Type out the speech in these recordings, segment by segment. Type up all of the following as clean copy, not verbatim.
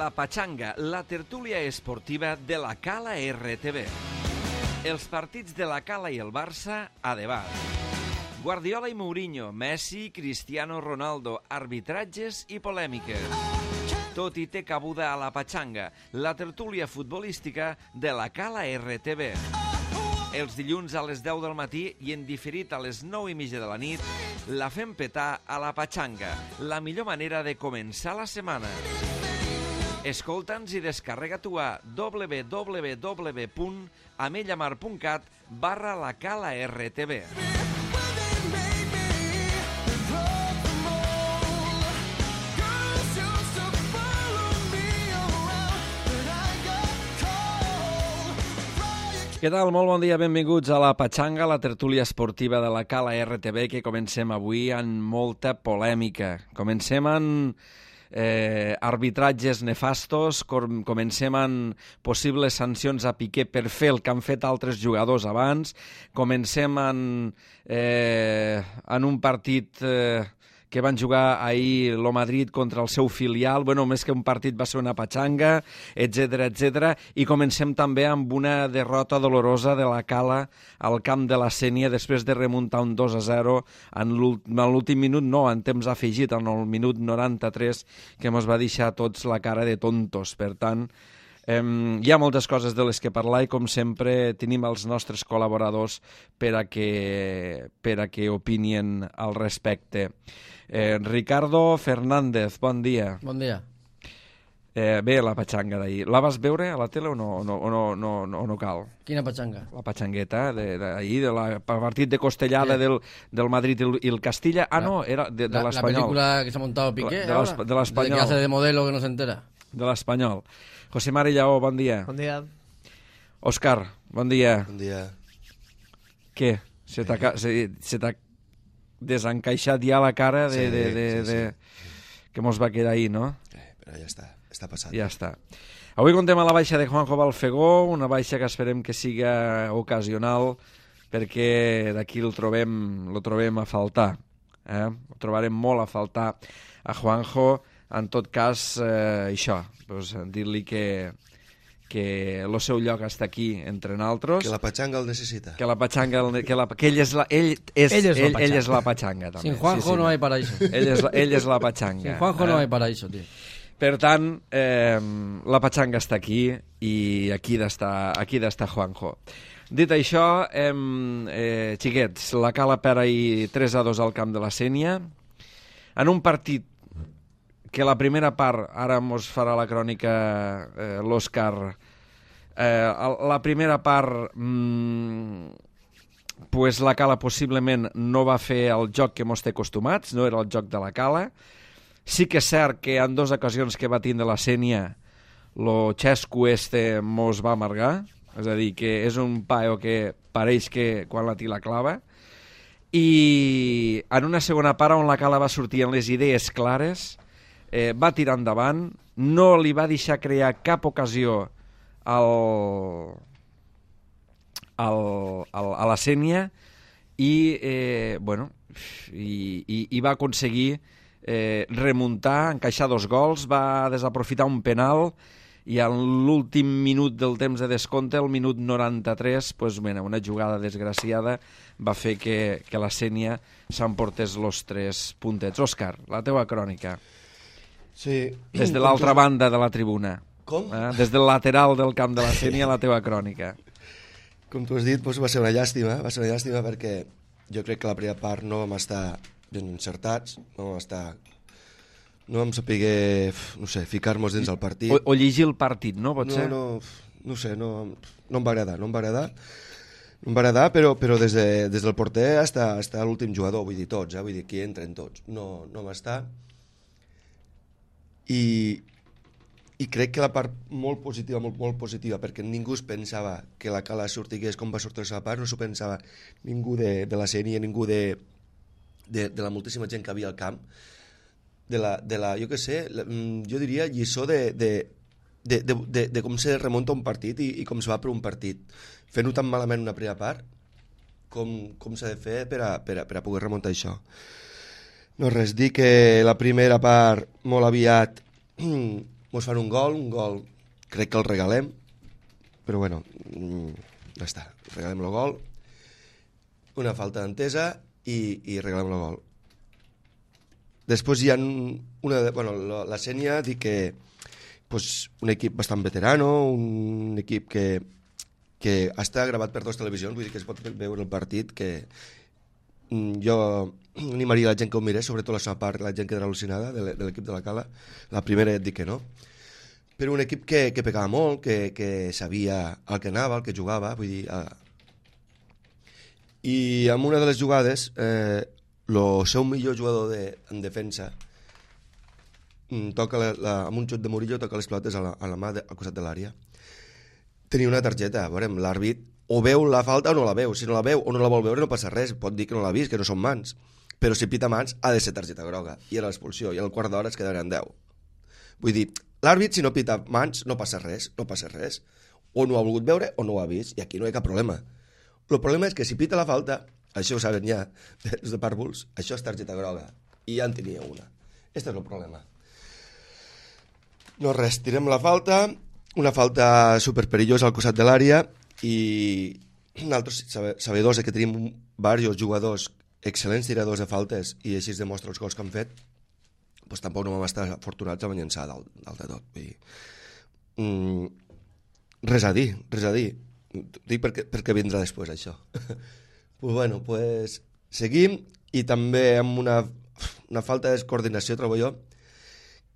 La Pachanga, la tertúlia esportiva de la Cala RTV. Els partits de la Cala i el Barça a debat. Guardiola i Mourinho, Messi, Cristiano Ronaldo, arbitratges i polèmiques. Tot hi té cabuda a La Pachanga, la tertúlia futbolística de la Cala RTV. Els dilluns a les 10 del matí i en diferit a les 9:30 de la nit, la fem petar a La Pachanga, la millor manera de començar la setmana. Escolta'ns i descarrega-t'ho a www.amellamar.cat/la Cala RTV. Què tal? Molt bon dia, benvinguts a La Pachanga, la tertúlia esportiva de la Cala RTV, que comencem avui amb molta polèmica. Comencem amb arbitratges nefastos, comencem amb possibles sancions a Piqué per fer el que han fet altres jugadors abans, comencem amb un partit que van jugar ahir el Madrid contra el seu filial, bueno, més que un partit va ser una patxanga, etc. I comencem també amb una derrota dolorosa de la Cala al camp de la Sénia després de remuntar un 2-0 en l'últim minut, no, en temps afegit, en el minut 93, que mos va deixar tots la cara de tontos. Per tant, hi ha moltes coses de les que parlar i, com sempre, tenim els nostres col·laboradors per a que opinien al respecte. Ricardo Fernández, bon dia. Bon dia. Bé, la patxanga d'ahir. La vas veure a la tele o no cal? Quina patxanga? La patxangueta d'ahir, del partit de costellada del Madrid i el Castilla. Ah, no, era de l'Espanyol. La película que s'ha montado Piqué ahora. De l'Espanyol. De que hace de modelo que no se entera. De l'Espanyol. José Mari Lleó, bon dia. Bon dia. Òscar, bon dia. Bon dia. Què? Se t'ha desencaixat ja la cara Sí. que mos va quedar ahir, no? Però ja està passat. Ja està. Avui contem a la baixa de Juanjo Balfegó, una baixa que esperem que siga ocasional, perquè d'aquí lo trobem a faltar. Ho trobarem molt a faltar a Juanjo. En tot cas, això, doncs, dir-li que el seu lloc està aquí entre nosaltres. Que la patxanga el necessita. Que la patxanga, que ell és la patxanga, també. Sin Juanjo no hay paraíso. Ell és la patxanga. Sin Juanjo no hay paraíso, tío. Per tant, la patxanga està aquí i aquí d'estar Juanjo. Dit això, xiquets, la Cala perd ahir 3-2 al camp de la Sénia, en un partit que la primera part, ara mos farà la crònica l'Òscar, la primera part pues la Cala possiblement no va fer el joc que mos té acostumats, no era el joc de la Cala. Sí que és cert que en dues ocasions que va tindre la Sénia lo xesco mos va amargar, és a dir, que és un paio que pareix que quan la tira clava, i en una segona part on la Cala va sortir amb les idees clares, va tirar endavant, no li va deixar crear cap ocasió a la Sénia i va aconseguir remuntar, encaixar 2 gols, va desaprofitar un penal i en l'últim minut del temps de descompte, el minut 93, una jugada desgraciada va fer que la Sénia s'emportés els 3 puntets. Òscar, la teua crònica. Sí. Des de l'altra banda de la tribuna. Com? Des del lateral del camp de la Sénia, la teva crònica. Com tu has dit, va ser una llàstima. Va ser una llàstima perquè jo crec que la primera part no vam estar ben encertats, no vam saber, no sé, ficar-nos dins el partit. O llegir el partit, no? Pot ser? No sé, no em va agradar. No em va agradar, però des del porter fins a l'últim jugador, vull dir tots, vull dir que entren tots. No va estar. I crec que la part molt positiva, perquè ningú es pensava que la Cala sortigués com va sortir la part, no s'ho pensava ningú de la Sénia, ningú de la moltíssima gent que havia al camp, de la jo què sé, jo diria lliçó de com se remunta un partit i com se va per un partit. Fent-ho tan malament una primera part, com s'ha de fer per a poder remuntar això. No res, dir que la primera part molt aviat mos fan un gol, crec que el regalem, però bueno, ja està, regalem el gol, una falta d'entesa i regalem el gol. Després hi ha la Sénia dic que un equip bastant veterano, un equip que està gravat per 2 televisions, vull dir que es pot veure el partit, que jo animaria la gent que ho mirés, sobretot la seva part, la gent que era al·lucinada de l'equip de la Cala. La primera et dic que no. Però un equip que pegava molt, que sabia el que anava, el que jugava, vull dir... I en una de les jugades, el seu millor jugador en defensa toca amb un xut de Murillo, toca les pilotes a la mà al costat de l'àrea. Tenia una targeta, veurem, l'àrbit o veu la falta o no la veu. Si no la veu o no la vol veure no passa res, pot dir que no l'ha vist, que no són mans. Però si pita mans ha de ser targeta groga, i era l'expulsió, i al quart d'hora es quedaran 10. Vull dir, l'àrbit si no pita mans no passa res, o no ha volgut veure o no ho ha vist, i aquí no hi ha cap problema. El problema és que si pita la falta, això ho saben ja, des de pàrvuls, això és targeta groga, i ja en tenia una. Este és el problema. No res, tirem la falta, una falta superperillosa al costat de l'àrea, i nosaltres sabedors que tenim diversos jugadors excel·lents tiradors de faltes i així es demostra els gols que han fet, doncs tampoc no vam estar afortunats a llançar dalt de tot. Vull dir, res a dir. Dic perquè vindrà després això. Pues seguim, i també amb una falta de coordinació, trobo jo.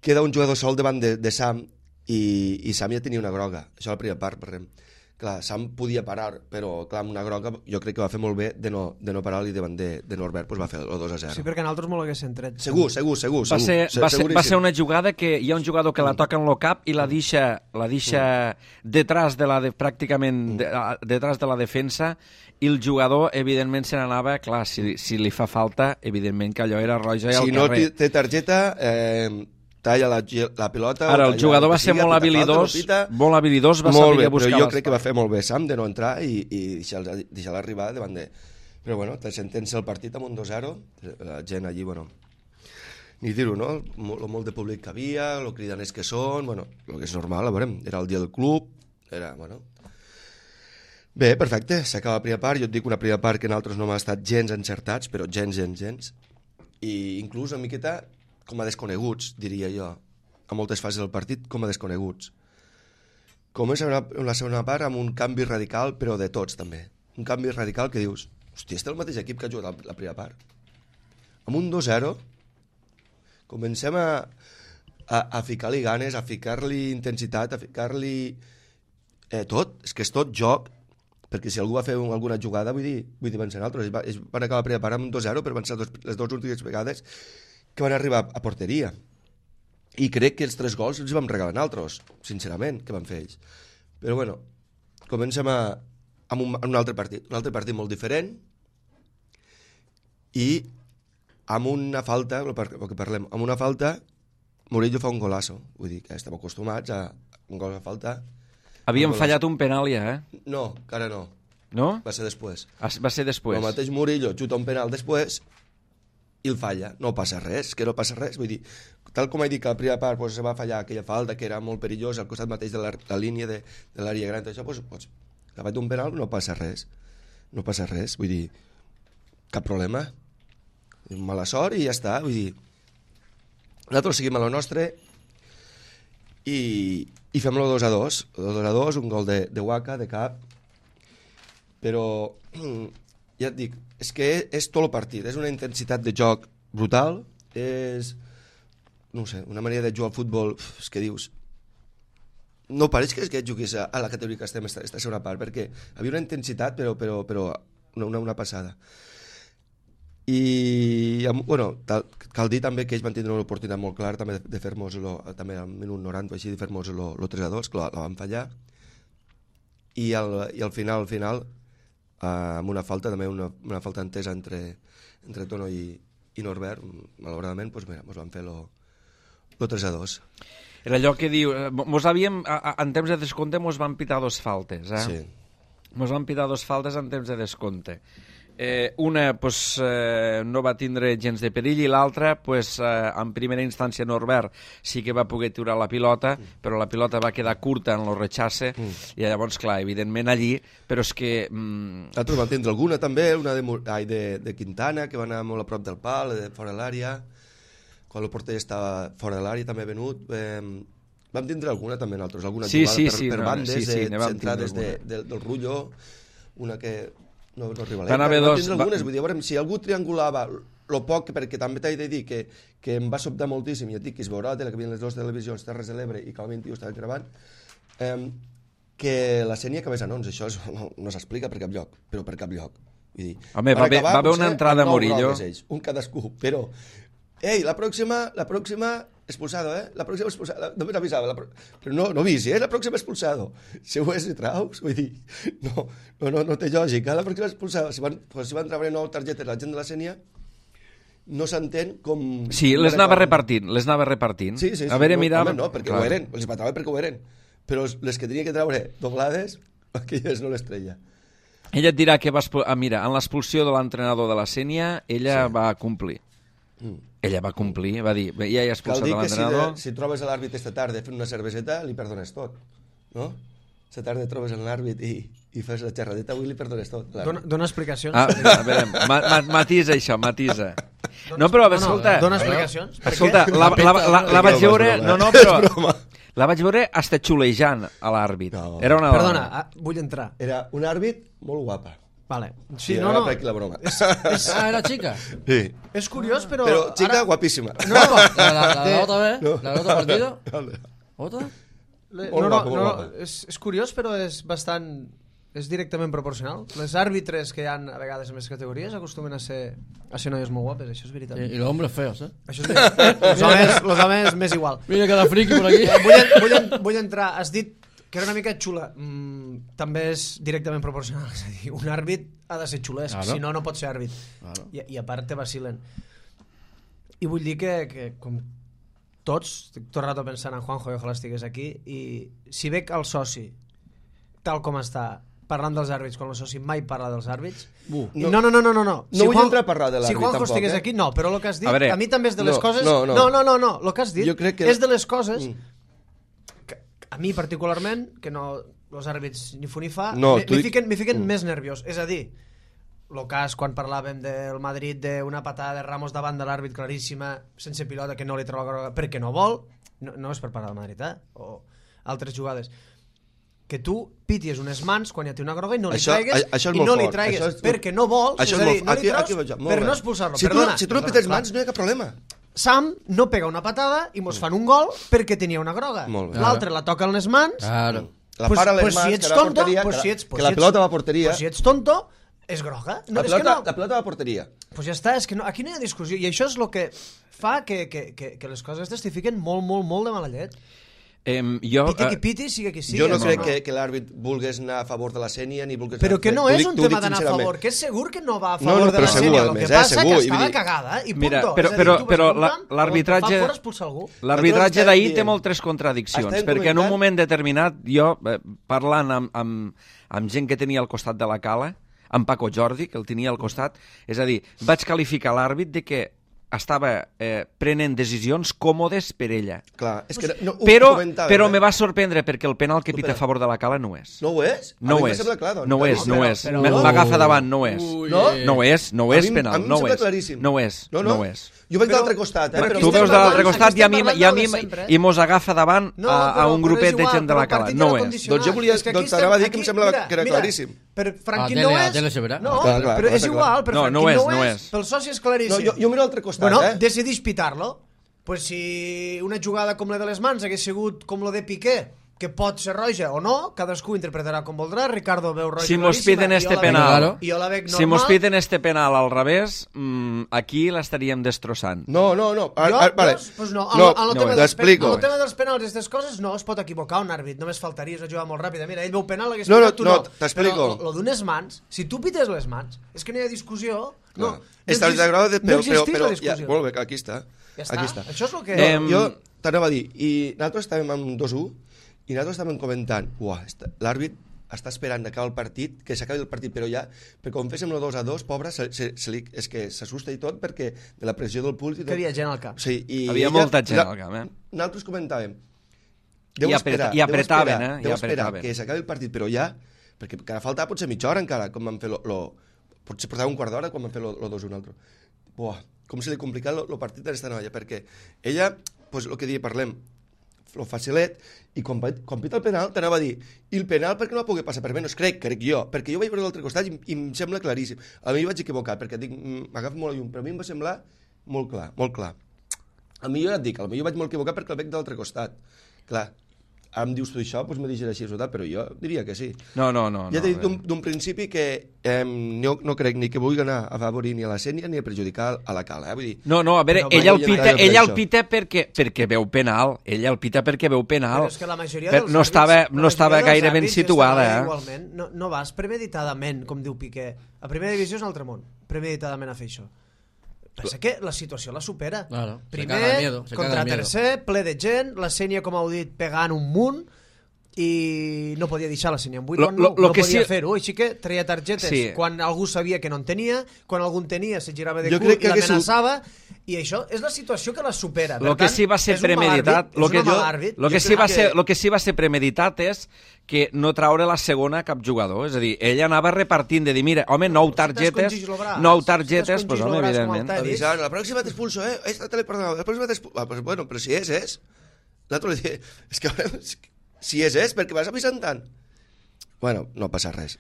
Queda un jugador sol davant de Sam i Sam ja tenia una groga. Això a la primera part, per exemple. Clar, Sam podia parar, però clar, amb una groga jo crec que va fer molt bé de no parar-li davant de Norbert, doncs va fer el 2-0. Sí, perquè nosaltres molt haguessin tret. Segur. Va ser una jugada que hi ha un jugador que la toca en el cap i la deixa detrás de pràcticament detrás de la defensa, i el jugador evidentment se n'anava, clar, si li fa falta, evidentment que allò era roja i al carrer. Si no té targeta, talla la pilota... Ara, el jugador va ser molt habilidós, va saber buscar l'espai. Però jo crec que va fer molt bé Sam de no entrar i deixar-la arribar davant de... Però bueno, te sentencia el partit amb un 2-0, la gent allí, bueno, ni dir-ho, no? Molt de públic que havia, el cridaners que són, bueno, el que és normal, veurem, era el dia del club, era, bueno... Bé, perfecte, s'acaba la primera part, jo et dic una primera part que nosaltres no hem estat gens encertats, però gens, i inclús una miqueta com a desconeguts, diria jo, a moltes fases del partit, com a desconeguts. Comença la segona part amb un canvi radical, però de tots també. Un canvi radical que dius, hòstia, este és el mateix equip que ha jugat la primera part. Amb un 2-0 comencem a ficar-li ganes, a ficar-li intensitat, a ficar-li tot, és que és tot joc, perquè si algú va fer alguna jugada, vull dir van ser altres, van acabar la primera part amb un 2-0, però van ser les dues últimes vegades que van arribar a porteria. I crec que els 3 gols els vam regalar nosaltres, sincerament, que van fer ells. Però bueno, comencem amb un altre partit molt diferent, i amb una falta, el que parlem, amb una falta, Murillo fa un golazo. Vull dir que estem acostumats a un gol a falta. Havíem fallat un penal ja, No, encara no. No? Va ser després. Va ser després. El mateix Murillo xuta un penal després i el falla. No passa res, vull dir, tal com he dit que la primera part se va fallar aquella falta que era molt perillosa al costat mateix de la línia de l'àrea gran, això, davant d'un penal no passa res, vull dir, cap problema, mala sort i ja està, vull dir, nosaltres seguim a lo nostre i fem el 2-2, un gol de Waka, de cap, però ja et dic, és que és tot el partit, és una intensitat de joc brutal, és, no sé, una manera de jugar al futbol, és que dius, no pareix que jugués a la categoria que estem esta segona part, perquè havia una intensitat, però una passada. I, bueno, cal dir també que ells van tindre una oportunitat molt clara també de fer-nos, també al minut 90 o així, de fer-nos el 3-2, que la van fallar, i al final, amb una falta, també una falta entesa entre Tono i Norbert, malauradament, doncs mira, ens van fer el 3-2. Era allò que diu, en temps de descompte mos van pitar 2 faltes, Sí. Mos van pitar 2 faltes en temps de descompte. Una no va tindre gens de perill i l'altra, en primera instància Norbert sí que va poder tirar la pilota, però la pilota va quedar curta en el rechace i llavors, clar, evidentment allí, però és que... Nosaltres vam tindre alguna també, una de Quintana, que va anar molt a prop del pal, fora de l'àrea, quan el porter estava fora de l'àrea també venut. Vam tindre alguna també nosaltres, alguna jugada per bandes, centrades del Rullo, una que... No arriba a l'Eca. Vam tindre algunes, vull dir, a veure, si algú triangulava lo poc, perquè també t'he de dir que em va sobtar moltíssim, i et dic que es veurà a la tele, que havien les dues televisions, Terres de l'Ebre i Cal 21 estaven gravant, que la Sènia acabés anons, això no s'explica per cap lloc, però per cap lloc. Vull dir, home, va haver una entrada a Murillo. Un cadascú, però... Ei, la pròxima expulsado, la pròxima expulsado, només avisava, però no avisi, la pròxima expulsado. Si ho és, traus, vull dir, no té lògica, la pròxima expulsado. Si van treure 9 targetes la gent de la Sènia, no s'entén com... Sí, les anava repartint. Sí. A veure, mira... No, perquè ho eren, els matava perquè ho eren, però les que tenia que treure doblades, aquelles no les treia. Ella et dirà que mira, en l'expulsió de l'entrenador de la Sènia, ella va complir. Ella va complir, va dir, ja he expulsat l'entrenador... Si trobes l'àrbit esta tarda fent una cerveseta, li perdones tot, no? Esta tarda trobes l'àrbit i fas la xerradeta, avui li perdones tot. Dona explicacions. A veure, matisa això, matisa. No, però, escolta... Dona explicacions. Escolta, la vaig veure... No, però... La vaig veure hasta xulejant a l'àrbit. Era una dona. Perdona, vull entrar. Era un àrbit molt guapa. Vale. Sí, no. Per aquí la broma. Era xica? Sí. És curiós, però... Però xica guapíssima. No, la nota bé? La nota partido? Ota? No, és curiós, però és bastant... És directament proporcional. Les àrbitres que hi ha a vegades en les categories acostumen a ser noies molt guapes, això és veritat. I los hombres feos, Això és veritat. Los homes més igual. Mira cada friki por aquí. Vull entrar, has dit que era una mica xula. També és directament proporcional. És a dir, un àrbit ha de ser xulesc, si no pot ser àrbit. I a part te vacilen. I vull dir que com tots, estic tot el rato pensant en Juanjo, i ojalà estigués aquí, i si veig el soci tal com està parlant dels àrbits quan el soci mai parla dels àrbits no. No vull entrar a parlar de l'àrbit si Juanjo tampoc, estigués aquí, no, però el que has dit a mi també és de les coses no, el que has dit és de les coses que a mi particularment que no, els àrbits ni fu ni fa m'hi fiquen més nerviós, és a dir el cas quan parlàvem del Madrid d'una patada de Ramos davant de l'àrbit claríssima sense pilota que no li treu la groga perquè no vol, no és per parlar del Madrid o altres jugades que tu pities unes mans quan ja té una groga i no li traigues perquè no vols, és a dir, no li treus per no expulsar-lo. Si tu no pites mans no hi ha cap problema. Sam no pega una patada i mos fan un gol perquè tenia una groga. L'altre la toca en les mans. Claro. La para a les mans, que la porteria, que la pilota va a porteria. Pues si ets tonto, és groga. La pilota va a porteria. Pues ja està, és que aquí no hi ha discussió. I això és el que fa que les coses aquestes t'hi fiquen molt, molt, molt de mala llet. Piti qui piti, siga qui sigui. Jo no crec que l'àrbit vulgués anar a favor de la Sènia ni vulgués... Però que no és un tema d'anar a favor, que és segur que no va a favor de la Sènia. El que passa és que estava cagada i punto. Però l'arbitratge d'ahir té moltes contradiccions, perquè en un moment determinat, jo, parlant amb gent que tenia al costat de la cala, amb Paco Jordi, que el tenia al costat, és a dir, vaig qualificar l'àrbit de que estava prenent decisions còmodes per ella. Clar, és que però me va sorprendre perquè el penal que pita a favor de la cala no és. No ho és? No ho és. M'agafa davant, no és. No és penal, no és. No és. Jo veig de l'altre costat, Tu veus de l'altre costat i mos agafa davant a un grupet de gent de la cala. No és. Doncs jo volia... Doncs t'anava a dir que em semblava que era claríssim. Per Franquín no és... No, però és igual, per Franquín no és. Pel soci és claríssim. Jo miro l'altre costat, Bueno, decidís pitar-lo. Pues si una jugada com la de les mans hagués sigut com la de Piqué, que pot ser roja o no, cadascú interpretarà com voldrà. Ricardo veu roja si mos piden este penal, i jo la veig normal. Si mos piden este penal al revés, aquí l'estaríem destrossant. No. Vale. Pues no. T'explico. El tema dels penals i aquestes coses no es pot equivocar un àrbit. Només faltaria, és una jugada molt ràpida. Mira, ell veu penal, hagués pitat, tu no. T'explico. Però lo d'unes mans, si tu pites les mans, és que no hi ha discussió. No existís la discussió. Molt bé, aquí està. Ja està. Això és el que... Jo t'anava a dir, i nosaltres estàvem amb 2-1, i nosaltres estàvem comentant, l'àrbit està esperant d'acabar el partit, que s'acabi el partit, però ja, perquè quan féssim el 2-2, pobre, és que s'assusta i tot perquè de la pressió del públic... Que havia gent al camp. Sí, havia molta gent al camp, Nosaltres comentàvem, deu esperar que s'acabi el partit, però ja, perquè cada falta potser mitja hora encara, com van fer potser portava un quart d'hora quan van fer el 2-1 altre. Buah, com se li complicat el partit d'esta noia, perquè ella, pues, el que dia parlem, lo facilet, i quan pita el penal t'anava a dir, i el penal per què no va poder passar per menys? Crec jo, perquè jo vaig veure l'altre costat i em sembla claríssim. A mi vaig equivocar, perquè dic, m'agafo molt a llum, però a mi em va semblar molt clar, molt clar. A mi jo ja et dic, jo vaig molt equivocar perquè el veig de l'altre costat. Clar, ara em dius tu això, doncs me deixes així, però jo diria que sí. No. Ja t'he dit d'un principi que no crec ni que vulgui anar a favorir ni a la Sènia ni a perjudicar a la Cala. Vull dir, no, a veure, ella el pita perquè veu penal. Ella el pita perquè veu penal. Però és que la majoria dels no estava gaire ben situada. Igualment, no vas premeditadament, com diu Piqué. A primera divisió és un altre món, premeditadament a fer això. Pensa que la situació la supera. Claro, primer, contra tercer, ple de gent, la Sènia, com heu dit, pegant un munt, i no podia deixar la Sènia en 8, no podia fer-ho, així que treia targetes quan algú sabia que no en tenia, quan algú en tenia se girava de cul i l'amenaçava, i això és la situació que la supera. El que sí va ser premeditat, el que sí va ser premeditat és que no traure la segona a cap jugador, és a dir, ella anava repartint de dir, mira, home, 9 targetes, doncs home, evidentment. Avisant, la pròxima t'expulso, esta te l'he perdonat, la pròxima t'expulso. Bueno, però si és. Nosaltres li diem, és que si és, perquè vas avisant tant. Bueno, no passa res.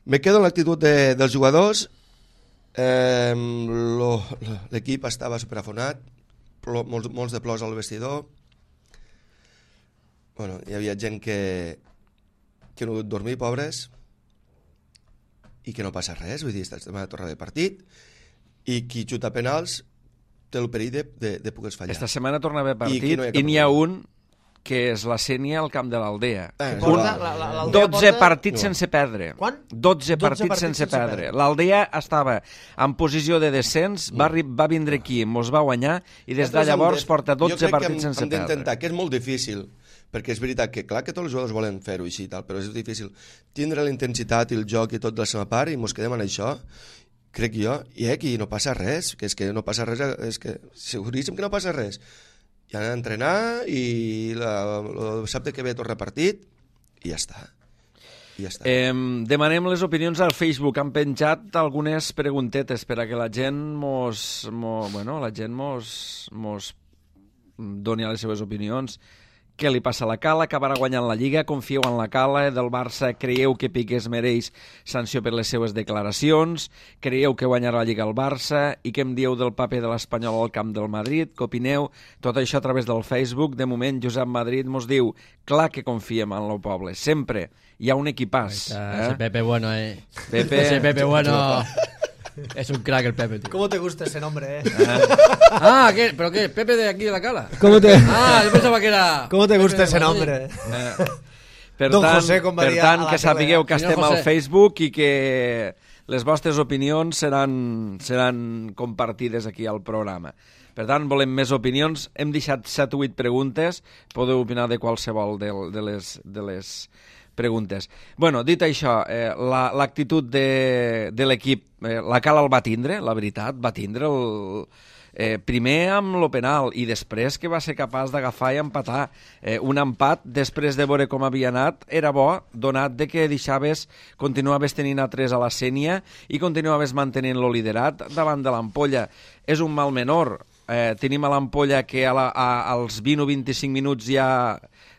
Me quedo en l'actitud dels jugadors. L'equip estava superafonat, molts de plors al vestidor. Bueno, hi havia gent que no ha pogut dormir, pobres, i que no passa res, vull dir, estem a tornar de partit, i qui xuta penals té el perill de poder fallar. Esta setmana torna a haver partit i n'hi ha un que és la Sènia al camp de l'Aldea. 12 partits sense perdre. Quan? 12 partits sense perdre. L'Aldea estava en posició de descens, va vindre aquí, mos va guanyar, i des de llavors porta 12 partits sense perdre. Jo crec que hem d'intentar, que és molt difícil, perquè és veritat que, clar, que tots els jugadors volen fer-ho així i tal, però és difícil tindre la intensitat i el joc i tot de la seva part, i mos quedem en això, crec jo, i aquí no passa res, que és que no passa res, és que seguríssim que no passa res. I anar a entrenar i el dissabte que ve torna partit i ja està. Demanem les opinions al Facebook. Han penjat algunes preguntetes per a que la gent mos doni les seves opinions. Què li passa a la Cala? Acabarà guanyant la Lliga? Confieu en la Cala? Del Barça creieu que Piqué es mereix sanció per les seves declaracions? Creieu que guanyarà la Lliga al Barça? I què em dieu del paper de l'Espanyol al camp del Madrid? Què opineu? Tot això a través del Facebook. De moment, Josep Madrid mos diu, clar que confiem en el poble, sempre. Hi ha un equipàs. Ese Pepe bueno, Pepe. Ese Pepe bueno. Es un crack el Pepe, tío. ¿Cómo te gusta ese nombre, ¿Pero qué? ¿Pepe de aquí de la Cala? ¿Cómo te... yo pensaba que era... ¿Cómo te gusta ese nombre? Per tant, que sapigueu que estem al Facebook i que les vostres opinions seran compartides aquí al programa. Per tant, volem més opinions. Hem deixat 7 o 8 preguntes. Podeu opinar de qualsevol de les preguntes. Bueno, dit això, l'actitud de l'equip, la Cala el va tindre, la veritat, va tindre primer amb lo penal i després que va ser capaç d'agafar i empatar. Un empat, després de veure com havia anat, era bo, donat de que continuaves tenint a 3 a la Sènia i continuaves mantenint lo liderat davant de l'Ampolla. És un mal menor. Tenim a l'Ampolla que als 20 o 25 minuts ja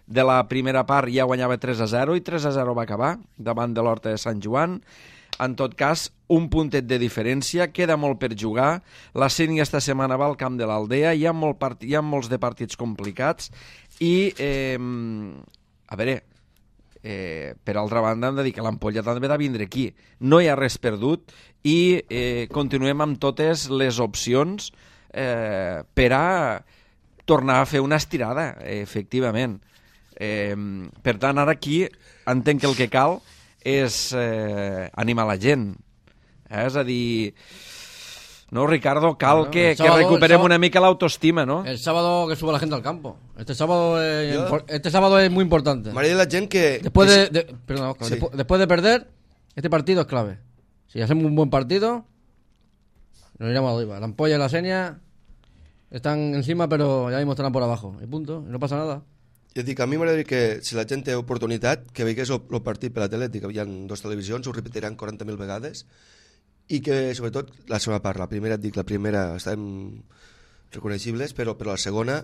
de la primera part ja guanyava 3-0 i 3-0 va acabar davant de l'Horta de Sant Joan. En tot cas, un puntet de diferència, queda molt per jugar. La Sènia esta setmana va al camp de l'Aldea, hi ha molts de partits complicats i, a veure, per altra banda hem de dir que l'Ampolla també ha de vindre aquí. No hi ha res perdut i continuem amb totes les opcions per a tornar a fer una estirada, efectivament. Per tant, ara aquí entenc que el que cal és animar la gent. És a dir, No, Ricardo, cal que recuperem una mica l'autoestima, ¿no? El sábado que suba la gente al campo. Este sábado es muy importante. María, la gente que... Después de perder, este partido es clave. Si hacemos un buen partido, nos iremos arriba. La Ampolla y la Senia están encima, pero ya mismo estarán por abajo. Y punto, y no pasa nada. Jo dic, a mi m'agradaria que, si la gent té oportunitat, que veigués el partit per la tele, que hi ha dues televisions, ho repetiran 40.000 vegades, i que, sobretot, la segona part, la primera estem reconeixibles, però la segona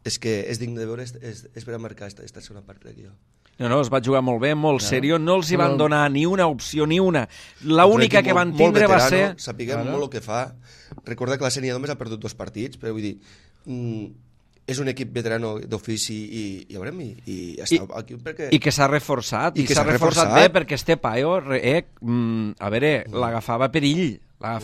és que és digne de veure, és per a marcar esta segona part, crec jo. No, es va jugar molt bé, molt seriós, no els hi van donar ni una opció, ni una. L'única que van tindre va ser... Sapiguem molt el que fa. Recorda que la Sènia només ha perdut 2 partits, però vull dir... és un equip veterano d'ofici i veurem, i està aquí perquè... I que s'ha reforçat, i s'ha reforçat bé, perquè este paio, a veure, l'agafava perill, a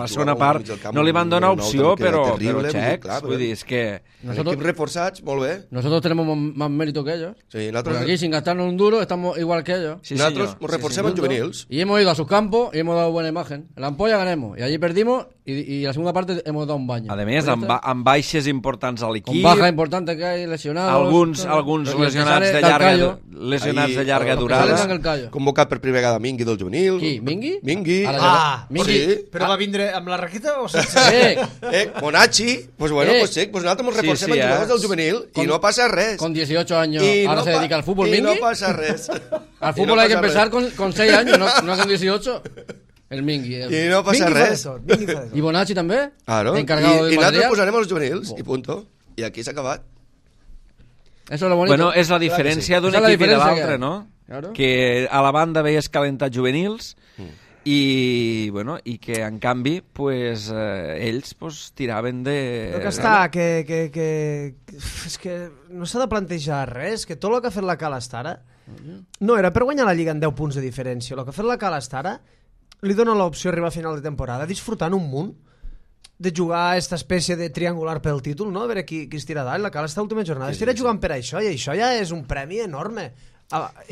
la segona part no li van donar opció, però xecs, vull dir, és que... Equips reforçats, molt bé. Nosotros tenemos más mérito que ellos. Sí, porque aquí, sin gastarnos un duro, estamos igual que ellos. Sí, nosotros nos reforcemos en juvenils. Y hemos ido a sus campos y hemos dado buena imagen. En la Ampolla ganemos, y allí perdimos, y la segunda parte hemos dado un baño. A més, amb baixes importants a l'equip... Con bajas importantes que hay, lesionados... Alguns lesionats de llarga durada. Convocat per primera vegada Mingui del juvenil. Qui? Mingui? Mingui. Sí. Però va vindre amb la Raquita o sense? Monachi, pues bueno, pues sí, pues nosaltres ens reforcem en jugadors del juvenil i no passa res. Con 18 años ahora se dedica al fútbol, Mingui. Y no pasa res. Al fútbol hay que empezar con 6 años, no con 18. El Mingui. I no passa res. I Bonacci també? Claro. I nosaltres posarem els juvenils i punto. I aquí s'ha acabat. Eso es lo bonito. Bueno, és la diferència d'un equip i de l'altre, no? Que a la banda veies calentar juvenils i que en canvi pues, ells pues, tiraven de... Però que està, és que no s'ha de plantejar res, que tot el que ha fet la Cala Stara no era per guanyar la Lliga en 10 punts de diferència. El que ha fet la Cala Stara li dona l'opció d'arribar a final de temporada disfrutant un munt de jugar a aquesta espècie de triangular pel títol, no? A veure qui es tira dalt. La Cala Stara última jornada estirà jugant per això, i això ja és un premi enorme.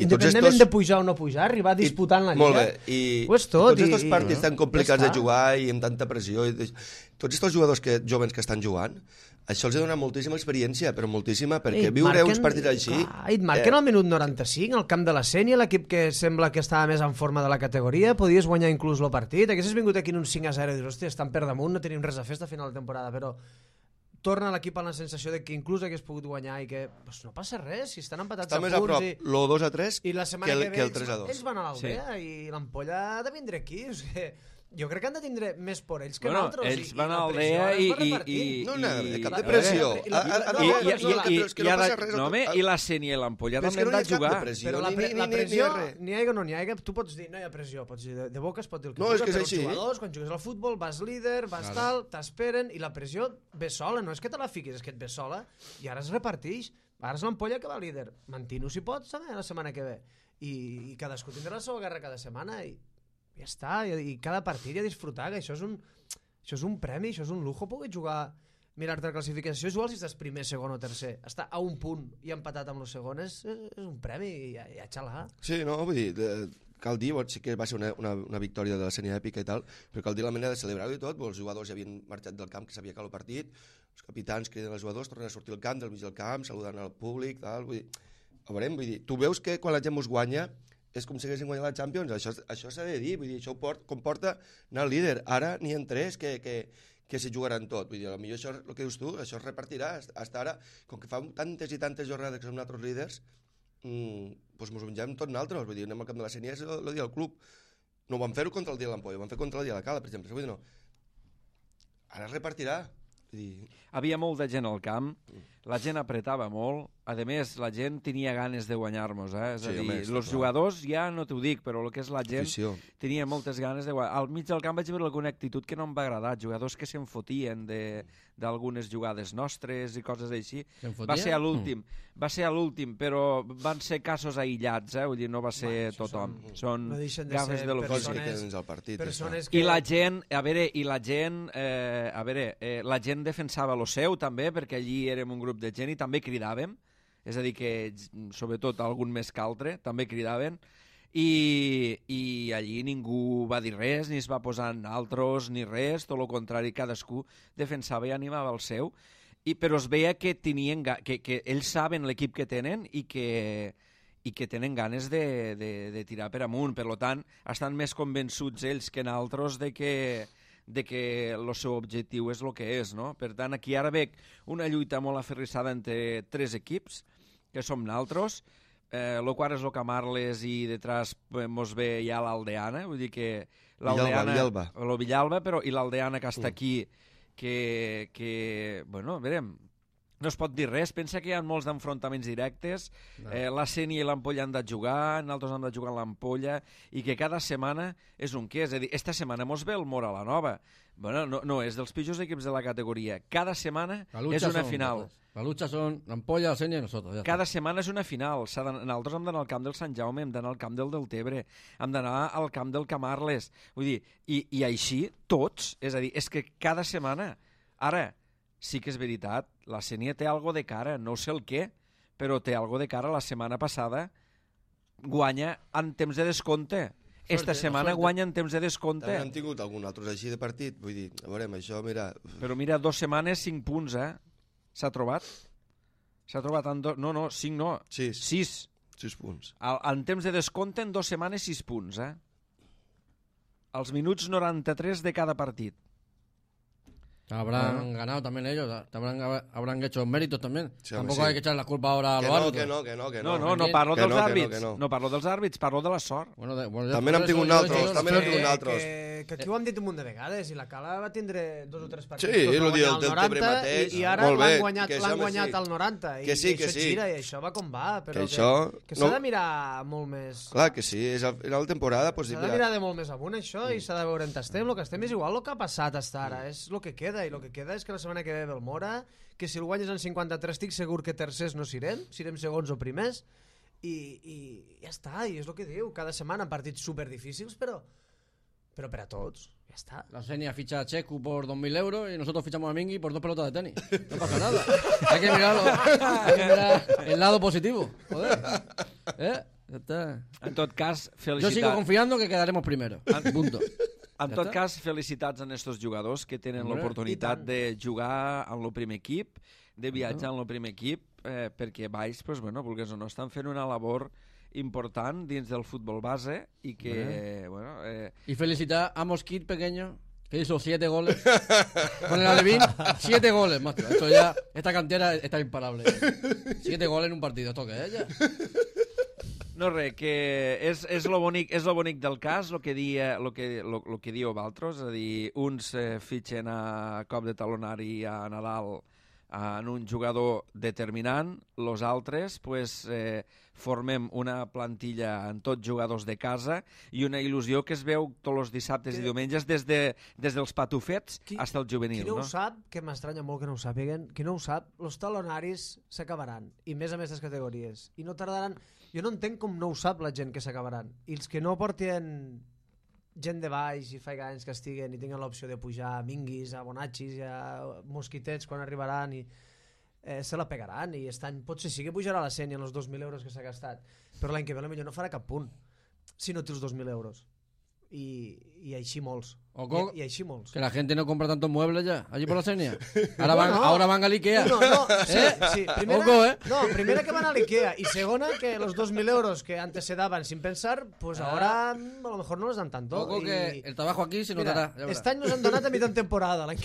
Independentment de pujar o no pujar, arribar disputant la Lliga. Molt bé, i tots aquests partits tan complicats de jugar i amb tanta pressió, tots aquests jugadors jovens que estan jugant, això els ha donat moltíssima experiència, però moltíssima, perquè viure uns partits així... I et marquen al minut 95 al camp de la Sènia, l'equip que sembla que estava més en forma de la categoria, podies guanyar inclús el partit, haguessis vingut aquí en un 5-0 i dius, hòstia, estan per damunt, no tenim res a fer a final de temporada, però torna l'equip amb la sensació de que inclús hagués pogut guanyar i que pues, no passa res, si estan empatats a punts... Està més a prop lo 2-3 i la setmana que el 3-2. Ells van a l'Aldea i l'Ampolla ha de vindre aquí, o sigui, jo crec que han de tindre més por ells que nosaltres. Ells van a l'Aldea i... No, cap de pressió. I la Sènia i l'Ampolla també han de jugar. Però la pressió, n'hi hagi o no n'hi hagi, tu pots dir, no hi ha pressió, pots dir, de boca es pot dir el que vulgui, però els jugadors, quan jugues al futbol, vas líder, vas tal, t'esperen, i la pressió ve sola, no és que te la fiquis, és que et ve sola, i ara es repartix. Ara és l'Ampolla que va líder. Mantino si pots, la setmana que ve. I cadascú tindrà la seva guerra cada setmana, i ja està, i cada partit ja disfrutar, que això és un premi, això és un lujo, poder jugar, mirar-te la classificació, jugar si estàs primer, segon o tercer, estar a un punt i empatat amb els segons és un premi, i ja xalà. Sí, no, vull dir, cal dir, sí que va ser una victòria de la Sènia èpica i tal, però cal dir la manera de celebrar-ho i tot, els jugadors ja havien marxat del camp, que sabia que el partit, els capitans criden els jugadors, tornen a sortir al camp, del mig del camp, saludant al públic, tal, vull dir, a veure, vull dir, tu veus que quan la gent us guanya és com si haguessin guanyat la Champions, això s'ha de dir, vull dir, això comporta anar al líder. Ara n'hi ha 3 que s'hi jugaran tot, vull dir, potser això, el que dius tu, això es repartirà, hasta ara, com que fa tantes i tantes jornades que som nosaltres líders, doncs ens mengem tots nosaltres, vull dir, anem al camp de la Sènia, és el dia del club. No ho vam fer contra el dia de l'Ampolla, ho vam fer contra el dia de la Cala, per exemple, vull dir, no. Ara es repartirà. Havia molta gent al camp, la gent apretava molt, a més la gent tenia ganes de guanyar-nos, és a dir, els jugadors ja no t'ho dic, però el que és la gent tenia moltes ganes de guanyar. Al mig del camp vaig veure alguna actitud que no em va agradar, jugadors que se'n fotien d'algunes jugades nostres i coses així. Va ser a l'últim, però van ser casos aïllats, vull dir, no va ser tothom. Són gafes de l'ofici. I la gent, la gent defensava lo seu també, perquè allí érem un grup de gent i també cridàvem, és a dir que sobretot algun més que altre també cridaven, i allí ningú va dir res, ni es va posar en altres, ni res, tot el contrari, cadascú defensava i animava el seu, però es veia que tenien que ells saben l'equip que tenen i que tenen ganes de tirar per amunt. Per tant, estan més convençuts ells que nosaltres de que el seu objectiu és el que és, no? Per tant, aquí ara veig una lluita molt aferrissada entre 3 equips, que som nosaltres, el quart és el Camarles i detrás mos ve ja l'Aldeana, vull dir que l'Aldeana, el Villalba, però i l'Aldeana que està aquí, que bueno, verem, no es pot dir res, pensa que hi ha molts d'enfrontaments directes, la Sénia i l'Ampolla han de jugar, nosaltres hem de jugar a l'Ampolla, i que cada setmana és un què, és a dir, esta setmana mos ve el Mora la Nova, bueno, no és dels pitjors equips de la categoria, cada setmana és una final. La lucha són l'Ampolla, la Sénia i nosaltres. Cada setmana és una final. Nosaltres hem d'anar al camp del Sant Jaume, hem d'anar al camp del Deltebre, hem d'anar al camp del Camarles. Vull dir, i així tots, és a dir, és que cada setmana... Ara, sí que és veritat, la Sénia té algo de cara, no sé el què, però té algo de cara. La setmana passada guanya en temps de descompte. Esta setmana guanya en temps de descompte. També hem tingut algun altre així de partit, vull dir, a veure, això, mira... Però mira, 2 setmanes, 5 punts, S'ha trobat? S'ha trobat en 5 no. 6 punts. En temps de descompte, en 2 setmanes, 6 punts, Els minuts 93 de cada partit. Habrán ganado también ellos, habrán hecho méritos también. Sí, tampoco hay que echar la culpa ahora a los árbitros. Que no. No parlo dels àrbits. No parlo dels àrbits, parlo de la sort. Bueno, també n'hem tingut altres. Que aquí ho hem dit un munt de vegades, i la Cala va tindre 2 o 3 partits. Sí, el dia del Tebre mateix. I ara l'han guanyat al 90. Que sí. Gira, i això va com va. Però que s'ha de mirar molt més... Clar que sí, és a final de temporada. S'ha de mirar de molt més amunt, això, i s'ha de veure on estem. El que estem és igual el que ha passat fins ara. És el que queda. I el que queda és que la setmana que ve el Mora, que si el guanyes en 53 estic segur que tercers no serem segons o primers, i ja està, i és el que diu, cada setmana partits superdifícils, però per a tots, ya está. La Sénia ficha a Checu por 2.000 euros y nosotros fichamos a Mingui por 2 pelotas de tenis. No pasa nada. Hay que mirar el lado positivo. Joder. Ya está. En tot cas, felicitats. Yo sigo confiando que quedaremos primero. Punto. En tot cas, felicitats a estos jugadors que tenen l'oportunitat de jugar en el primer equip, de viatjar en el primer equip, perquè baix, pues, bueno, vulguis o no, estan fent una labor important dins del futbol base y que, bueno... Y felicitar a Mosquit pequeño, que hizo 7 goles. Con el Alevín, 7 goles, macho. Esto ya, esta cantera está imparable. 7 goles en un partido, ¿esto qué es ya? No, res, que és lo bonic del cas, el que diu Valtros, és a dir, uns fitxen a cop de talonari a Nadal en un jugador determinant, los altres pues, formem una plantilla en tots jugadors de casa i una il·lusió que es veu tots els dissabtes i diumenges des dels patufets fins al juvenil. Qui no ho sap, que m'estranya molt que no ho sàpiguen, qui no ho sap, els talonaris s'acabaran, i més a més les categories, i no tardaran. Jo no entenc com no ho sap la gent que s'acabaran, i els que no porten gent de baix i fa anys que estiguen i tinguin l'opció de pujar a Minguis, a Bonachis i a Mosquitets quan arribaran i se la pegaran, i aquest any potser sí que pujarà la Sénia en els 2.000 euros que s'ha gastat, però l'any que ve potser no farà cap punt si no té els 2.000 euros y així molts. Y així molts. Que la gente no compra tantos muebles ya allí por la Sénia. Ahora van a l'Ikea. Sí, primera que van a l'Ikea y segona que los 2.000 euros que antes se daban sin pensar, pues ahora a lo mejor no les dan tanto. Ojo que el trabajo aquí se notará. Este any nos han donat a mitjà temporada, l'any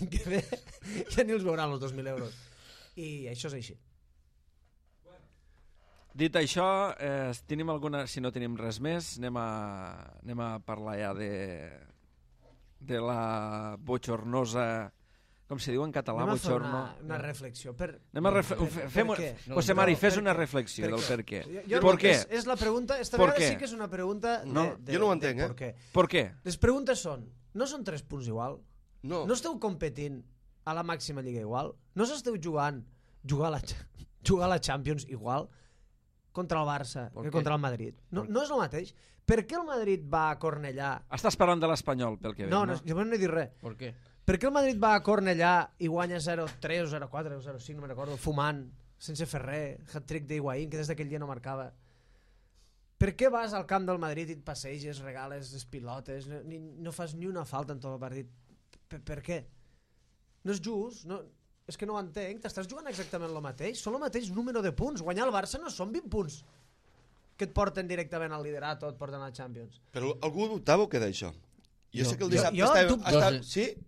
que ve ja ni els veuran els 2.000 euros. I això és així. Dit això, si no tenim res més, anem a parlar ja de la bochornosa, com se diu en català, bochorno. Una reflexió. José Mari, fes una reflexió del per què. Per què? És la pregunta, esta vegada sí que és una pregunta... Jo no ho entenc, Per què? Les preguntes són, no són 3 punts igual? No esteu competint a la màxima lliga igual? No s'esteu jugar a la Champions igual? Contra el Barça que contra el Madrid. No és el mateix. Per què el Madrid va a Cornellà... Estàs parlant de l'Espanyol, pel que veig, no? Jo no he dit res. Per què? Per què el Madrid va a Cornellà i guanya 0-3 o 0-4 o 0-5, no me'n recordo, fumant, sense fer res, hat-trick d'Higuaín, que des d'aquell dia no marcava. Per què vas al camp del Madrid i et passeges, regales les pilotes, no fas ni una falta en tot el partit? Per què? No és just, és que no ho entenc. T'estàs jugant exactament el mateix? Són el mateix número de punts. Guanyar el Barça no són 20 punts que et porten directament al liderat o et porten a Champions. Però algú dubtava o què d'això? Jo sé que el dissabte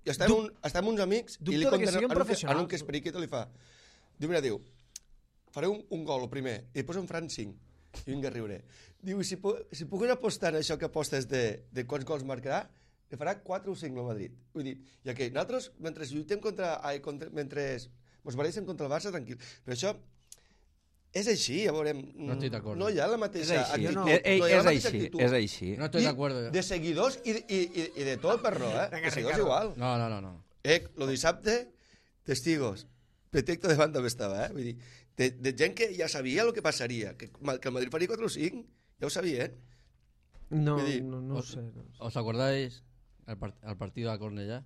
estàvem uns amics i li conten en un que és periqueta li fa. Diu, mira, faré un gol el primer i posa un Fran 5 i vinga a riure. Diu, si puguin apostar en això que apostes de quants gols marcarà, li farà 4 o 5 al Madrid. Vull dir, i que nosaltres, mentre lluitem mentre ens barallem contra el Barça, tranquil. Però això és així, ja veurem. No estic d'acord. No hi ha la mateixa actitud. És així. No estic d'acord. De seguidors i de tot, per no, de seguidors igual. No. Lo dissabte, testigos. Petecto de banda estava, vull dir, de gent que ja sabia el que passaria, que el Madrid faria 4 o 5, ja ho sabien. No sé. ¿Os acordáis al partido de Cornellá?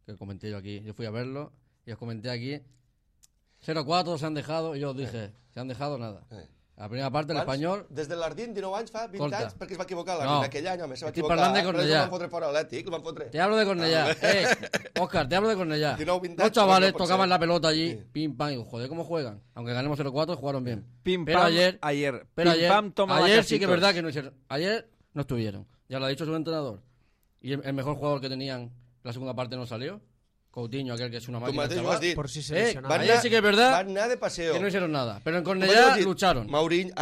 Que comenté yo aquí. Yo fui a verlo y os comenté aquí. 0-4 se han dejado, y yo os dije, se han dejado nada. La primera parte, el Espanyol... Des de l'Ardín, 19 anys fa, 20 anys, perquè es va equivocar l'Ardín. Aquell any, home, se va estic equivocar. parlant de Cornellà. Lo van fotre fora l'Atlètic, lo van fotre. Te hablo de Cornellà. Oscar, te hablo de Cornellà. 19, 20 Los chavales tocaban la pelota allí, pim, pam, y joder, ¿cómo juegan? Aunque ganemos 0-4, jugaron bien. Pim, pero pam, ayer toma ayer sí que es verdad que no hicieron. Ayer no estuvieron. Ya lo ha dicho su entrenador. Y el mejor jugador que tenían la segunda parte no salió. Coutinho, aquel que es una máquina. Por si se lesionaba. Ayer sí que es verdad van anar de paseo. Que no hicieron nada. Pero en Cornellà lucharon. Mourinho,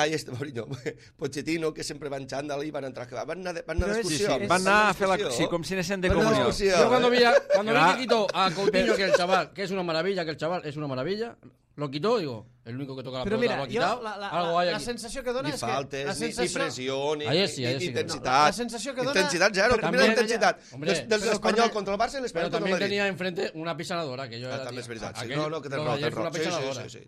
Pochettino, que sempre van xandall i van entrar. Van anar d'excursió. Van anar a fer sí, com si anessin de comunió. Yo cuando vi que quitó a Coutinho, que el chaval, que es una maravilla, lo quitó, digo, el único que toca la pelota lo ha quitado. Algo hay aquí. La sensació que dona és que... Ni faltes, ni pressió, ni intensitat. La sensació que dona... Intensitat zero, mira la intensitat del Espanyol contra el Barça i l'Espanyol contra el Madrid. Pero también tenía enfrente una pisanadora, que yo era... També és veritat, sí. No, que tens raó.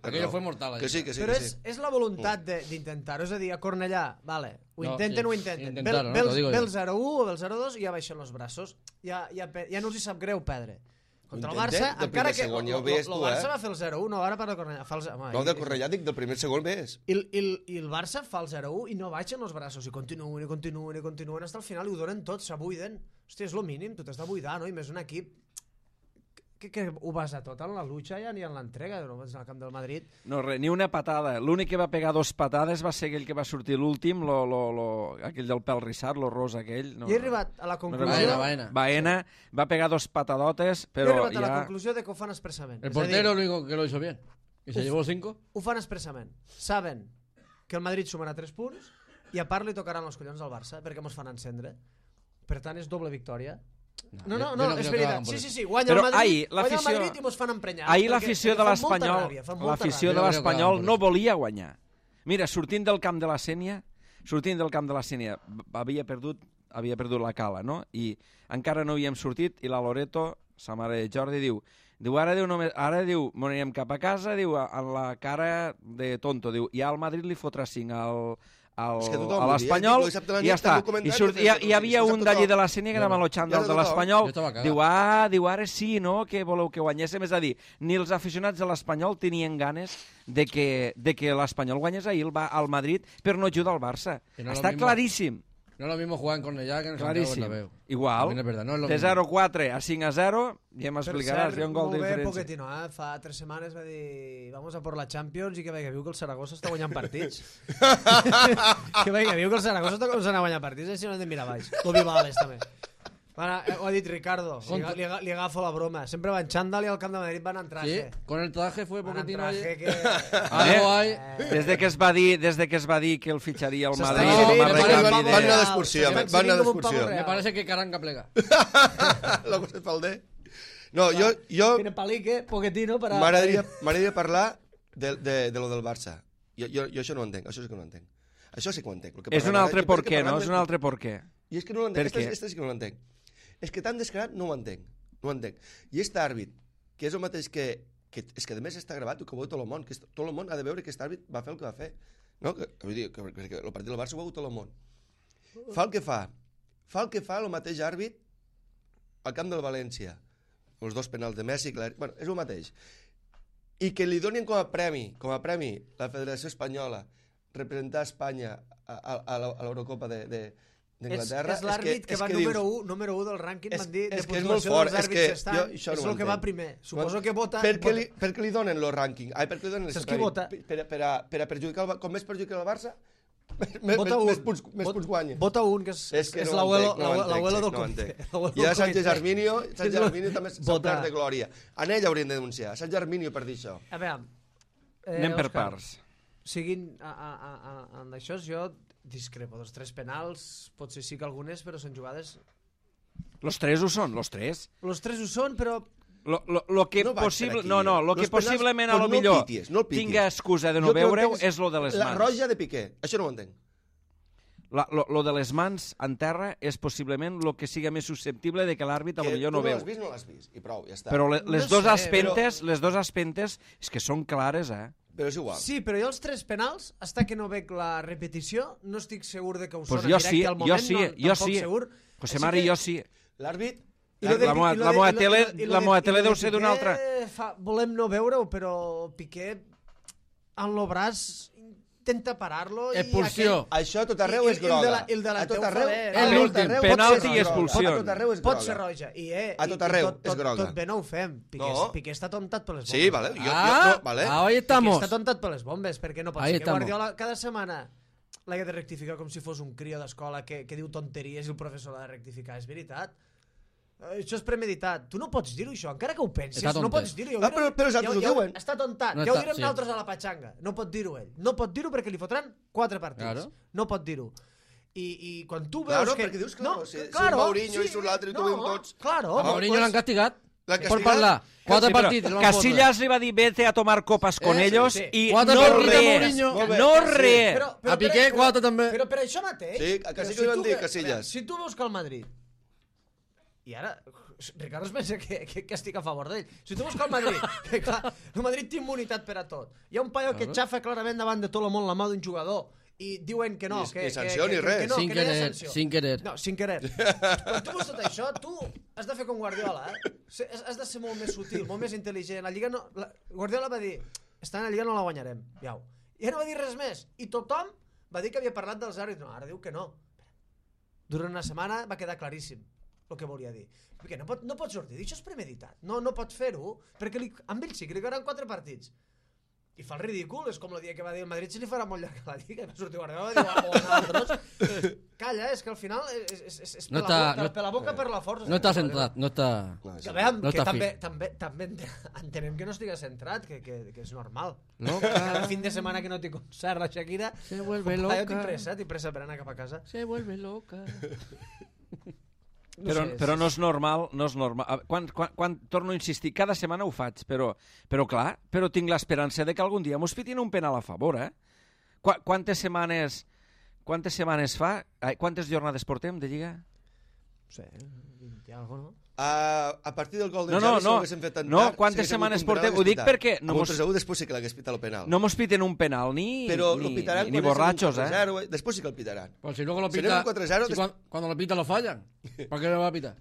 Aquello fue mortal. Que sí. Però és la voluntat d'intentar-ho, és a dir, a Cornellà, vale, ho intenten. Ve el 0-1 o ve el 0-2 i ja baixen els braços. Ja no els hi sap greu perdre. Contra el Barça, encara que el Barça va fer el 0-1, no, ara parla de Cornellà. No, de Cornellà dic, del primer segon ves. I el Barça fa el 0-1 i no baixen els braços, i continuen fins al final i ho donen tot, s'abuiden. Hòstia, és el mínim, tu t'has de buidar, no? I més un equip que ho basa tot en la lucha ja ni en l'entrega, no vas al camp del Madrid. No, ni una patada. L'únic que va pegar 2 patades va ser aquell que va sortir l'últim, aquell del pèl rissat, lo rosa aquell. I he arribat a la conclusió... Baena va pegar 2 patadotes, però he arribat a la conclusió de que ho fan expressament. El portero lo único que lo hizo bien. I se llevó 5. Ho fan expressament. Saben que el Madrid sumarà 3 punts i a part li tocaran els collons al Barça perquè mos fan encendre. Per tant, és doble victòria. No, és veritat. Sí, guanya el Madrid i mos fan emprenyar. Ahir l'afició de l'Espanyol no volia guanyar. Mira, sortint del camp de la Sénia, havia perdut la cala, no? I encara no havíem sortit i la Loreto, sa mare de Jordi, diu ara m'anirem cap a casa, diu, en la cara de tonto, diu, i al Madrid li fotrà 5 a l'Espanyol i ja està. I hi havia un d'allí de la Sénia que era malotxant del de l'Espanyol. Diu, ara sí, no?, que voleu que guanyéssim. És a dir, ni els aficionats de l'Espanyol tenien ganes de que l'Espanyol guanyés ahir al Madrid per no ajudar al Barça. Està claríssim. No es lo mismo jugar en Cornellà que en Santiago Bernabéu. Igual, de 0-4 a 5-0, ja m'explicaràs, hi ha un gol de diferència. Pochettino, fa 3 setmanes va dir vamos a por la Champions i que viu que el Saragossa està guanyant partits. Que viu que el Saragossa està començant a guanyar partits, així no hem de mirar baix. O Vivales també. Ho ha dit Ricardo, li agafo la broma. Sempre va en xandall i al camp de Madrid van en traje. Sí, con el traje fue Pochettino ayer. Algo hay. Desde que es va dir que el fitxaria al Madrid. Van anar d'excursió. Me parece que Caranga plega. La cosa és falder. No, jo... Tiene palique, Pochettino para... M'agradaria parlar de lo del Barça. Jo això no ho entenc, això sí que no ho entenc. Això sí que ho entenc. És un altre per què, no? És un altre per què. I és que no ho entenc, aquesta sí que no ho entenc. És que tan descarat no ho entenc. I aquest àrbit, que és el mateix que és que a més està gravat i que ho veu tot el món, que tot el món ha de veure que aquest àrbit va fer el que va fer, no? Vull dir, que el partit del Barça ho veu tot el món. Fa el que fa el mateix àrbit al camp del València, els 2 penals de Messi, bueno, és el mateix. I que li donin com a premi la Federació Espanyola representar Espanya a l'Eurocopa d'Anglaterra... És l'àrbit que va número 1 del rànquing, m'han dit, de puntuació dels àrbits d'estat. És el que va primer. Suposo que vota... Per què li donen el rànquing? Per què li donen el vota? Per a perjudicar... Com més perjudica el Barça, més punts guanya. Vota un, que és l'abuelo del comitè. I a Sánchez Arminio també s'ha perdut de glòria. En ell haurien de denunciar, Sánchez Arminio, per dir això. A veure... Anem per parts. Seguint en això, jo discrepo. Dels 3 penals, potser sí que algunes, però són jugades... Los 3 ho són, los 3. Los 3 ho són, però... Lo que possiblement a lo millor tinga excusa de no veure-ho és lo de les mans. La roja de Piqué, això no ho entenc. Lo de les mans en terra és possiblement lo que siga més susceptible de que l'àrbit a lo millor no veu. Que tu no l'has vist, i prou, ja està. Però les dos aspentes és que són clares, Però és igual. Sí, però jo els 3 penals, hasta que no veig la repetició, no estic segur de que ho sona directe al moment. Jo sí. José Mari, jo sí. L'àrbit... La moa tele deu ser d'una altra. Volem no veure-ho, però Piqué en lo braç intenta parar-lo. Expulsió. Això a tot arreu és groga. A tot arreu. L'últim, penalti i expulsió. A tot arreu és groga. Pot ser roja. A tot arreu és groga. Tot bé no ho fem. Piqué està tontat per les bombes. Sí, vale. Ahí estamos. Piqué està tontat per les bombes, perquè no pot ser que Guardiola cada setmana l'ha de rectificar com si fos un crio d'escola que diu tonteries i el professor l'ha de rectificar. És veritat. Això és premeditat. Tu no pots dir-ho, això, encara que ho pensis. No pots dir-ho. Però els altres ho diuen. Està tontat. Ja ho direm nosaltres a la patxanga. No pot dir-ho ell. No pot dir-ho perquè li fotran 4 partits. No pot dir-ho. I quan tu veus que... perquè dius, si un Mourinho i surt l'altre i tu veiem tots... A Mourinho l'han castigat. Per parlar. 4 partits. Casillas li va dir vete a tomar copas con ellos i no res. A Piqué 4 també. Però per això mateix... Sí, a Casillas li van dir Casillas. Si tu veus que el Madrid... I ara, Ricardo es pensa que estic a favor d'ell. Si tu veus que el Madrid, que clar, el Madrid té immunitat per a tot. Hi ha un paio que xafa clarament davant de tot el món la mà d'un jugador i diuen que no. Ni sanció ni res. Sin querer. No, sin querer. Quan tu veus tot això, tu has de fer com Guardiola, Has de ser molt més sutil, molt més intel·ligent. La Lliga no... Guardiola va dir, estant a la Lliga no la guanyarem. Iau. I no va dir res més. I tothom va dir que havia parlat dels àrbits. No, ara diu que no. Durant una setmana va quedar claríssim el que volia dir. Perquè no pot sortir. Això és premeditat. No pot fer-ho, perquè amb ell sí que li quedaran 4 partits. I fa el ridícul, és com el dia que va dir el Madrid se li farà molt llarg a la Lliga, i va sortir Guardiola i va dir, o nosaltres. Calla, és que al final és per la boca per la força. No està centrat, no està... També entenem que no estigui centrat, que és normal. Cada fin de setmana que no té concert la Shakira, se vuelve loca. Tinc pressa per anar cap a casa. Se vuelve loca. Però no és normal, no és normal. Quan torno a insistir, cada setmana ho faig, però tinc l'esperança de que algun dia mos fitin un penal a favor, Quantes setmanes fa? Quantes jornades portem de Lliga? No sé, 20 i alguna cosa, no? A partir del gol de Xavi, si ho haguéssim fet tan tard... quantes setmanes portem? Ho dic perquè... No mos... després sí que l'hagués pitat el penal. No mos piten un penal, ni borrachos, Després sí que el pitaran. Pues si luego lo pita... Cuando lo pita lo fallan. ¿Por qué no va a pitar?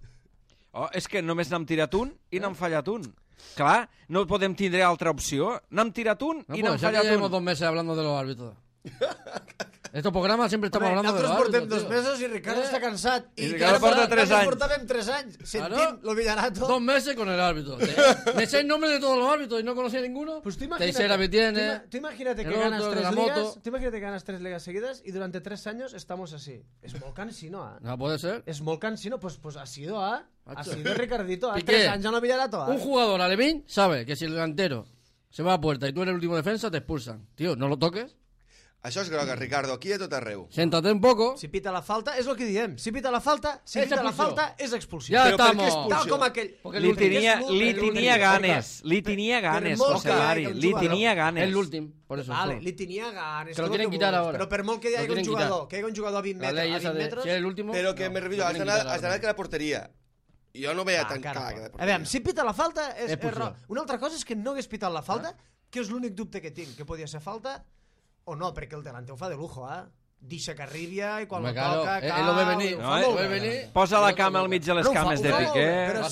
És que només n'hem tirat un i n'hem fallat un. Clar, no podem tindre altra opció. N'hem tirat un i n'hem fallat un. Llevamos 2 meses hablando de los árbitros. Estos programas siempre estamos hablando de los árbitros. Nosotros portem 2 mesos y Ricardo está cansat. Y Ricardo porta 3 anys. Portàvem 3 anys sentint lo Villarato. 2 meses con el árbitro. Me sé el nombre de todos los árbitros y no conocía ninguno. Pues tú imagínate que ganas 3 ligas. Tú imagínate que ganas 3 ligas seguidas y durante 3 años estamos así. Es molt cansino, No puede ser. Es molt cansino. Pues ha sido Ricardito. 3 años no Villarato. Un jugador alevín sabe que si el delantero se va a puerta y tú eres el último defensa, te expulsan. Tío, no lo toques. Això és groga, Ricardo, aquí a tot arreu. Siéntate un poco. Si pita la falta, és el que diem. Si pita la falta, és expulsió. Ja Però estamos. Tal com aquell... Li tenia ganes, José Mari. Li tenia ganes. És l'últim, por eso. Vale, li tenia ganes. Que lo quieren quitar ahora. Però per molt que hi hagi un jugador a 20 metres... Si és l'últim... Però que me revido, has d'anar a la porteria. Jo no veia tan clar que la porteria. A veure, si pita la falta, és error. Una altra cosa és que no hagués pitat la falta, que és l'únic dubte que tinc, que podia ser falta o no, perquè el delante ho fa de lujo, Deixa que arribia i quan lo toca cau... Ell lo ve venir. Posa la cama al mig de les cames de Piqué. Però a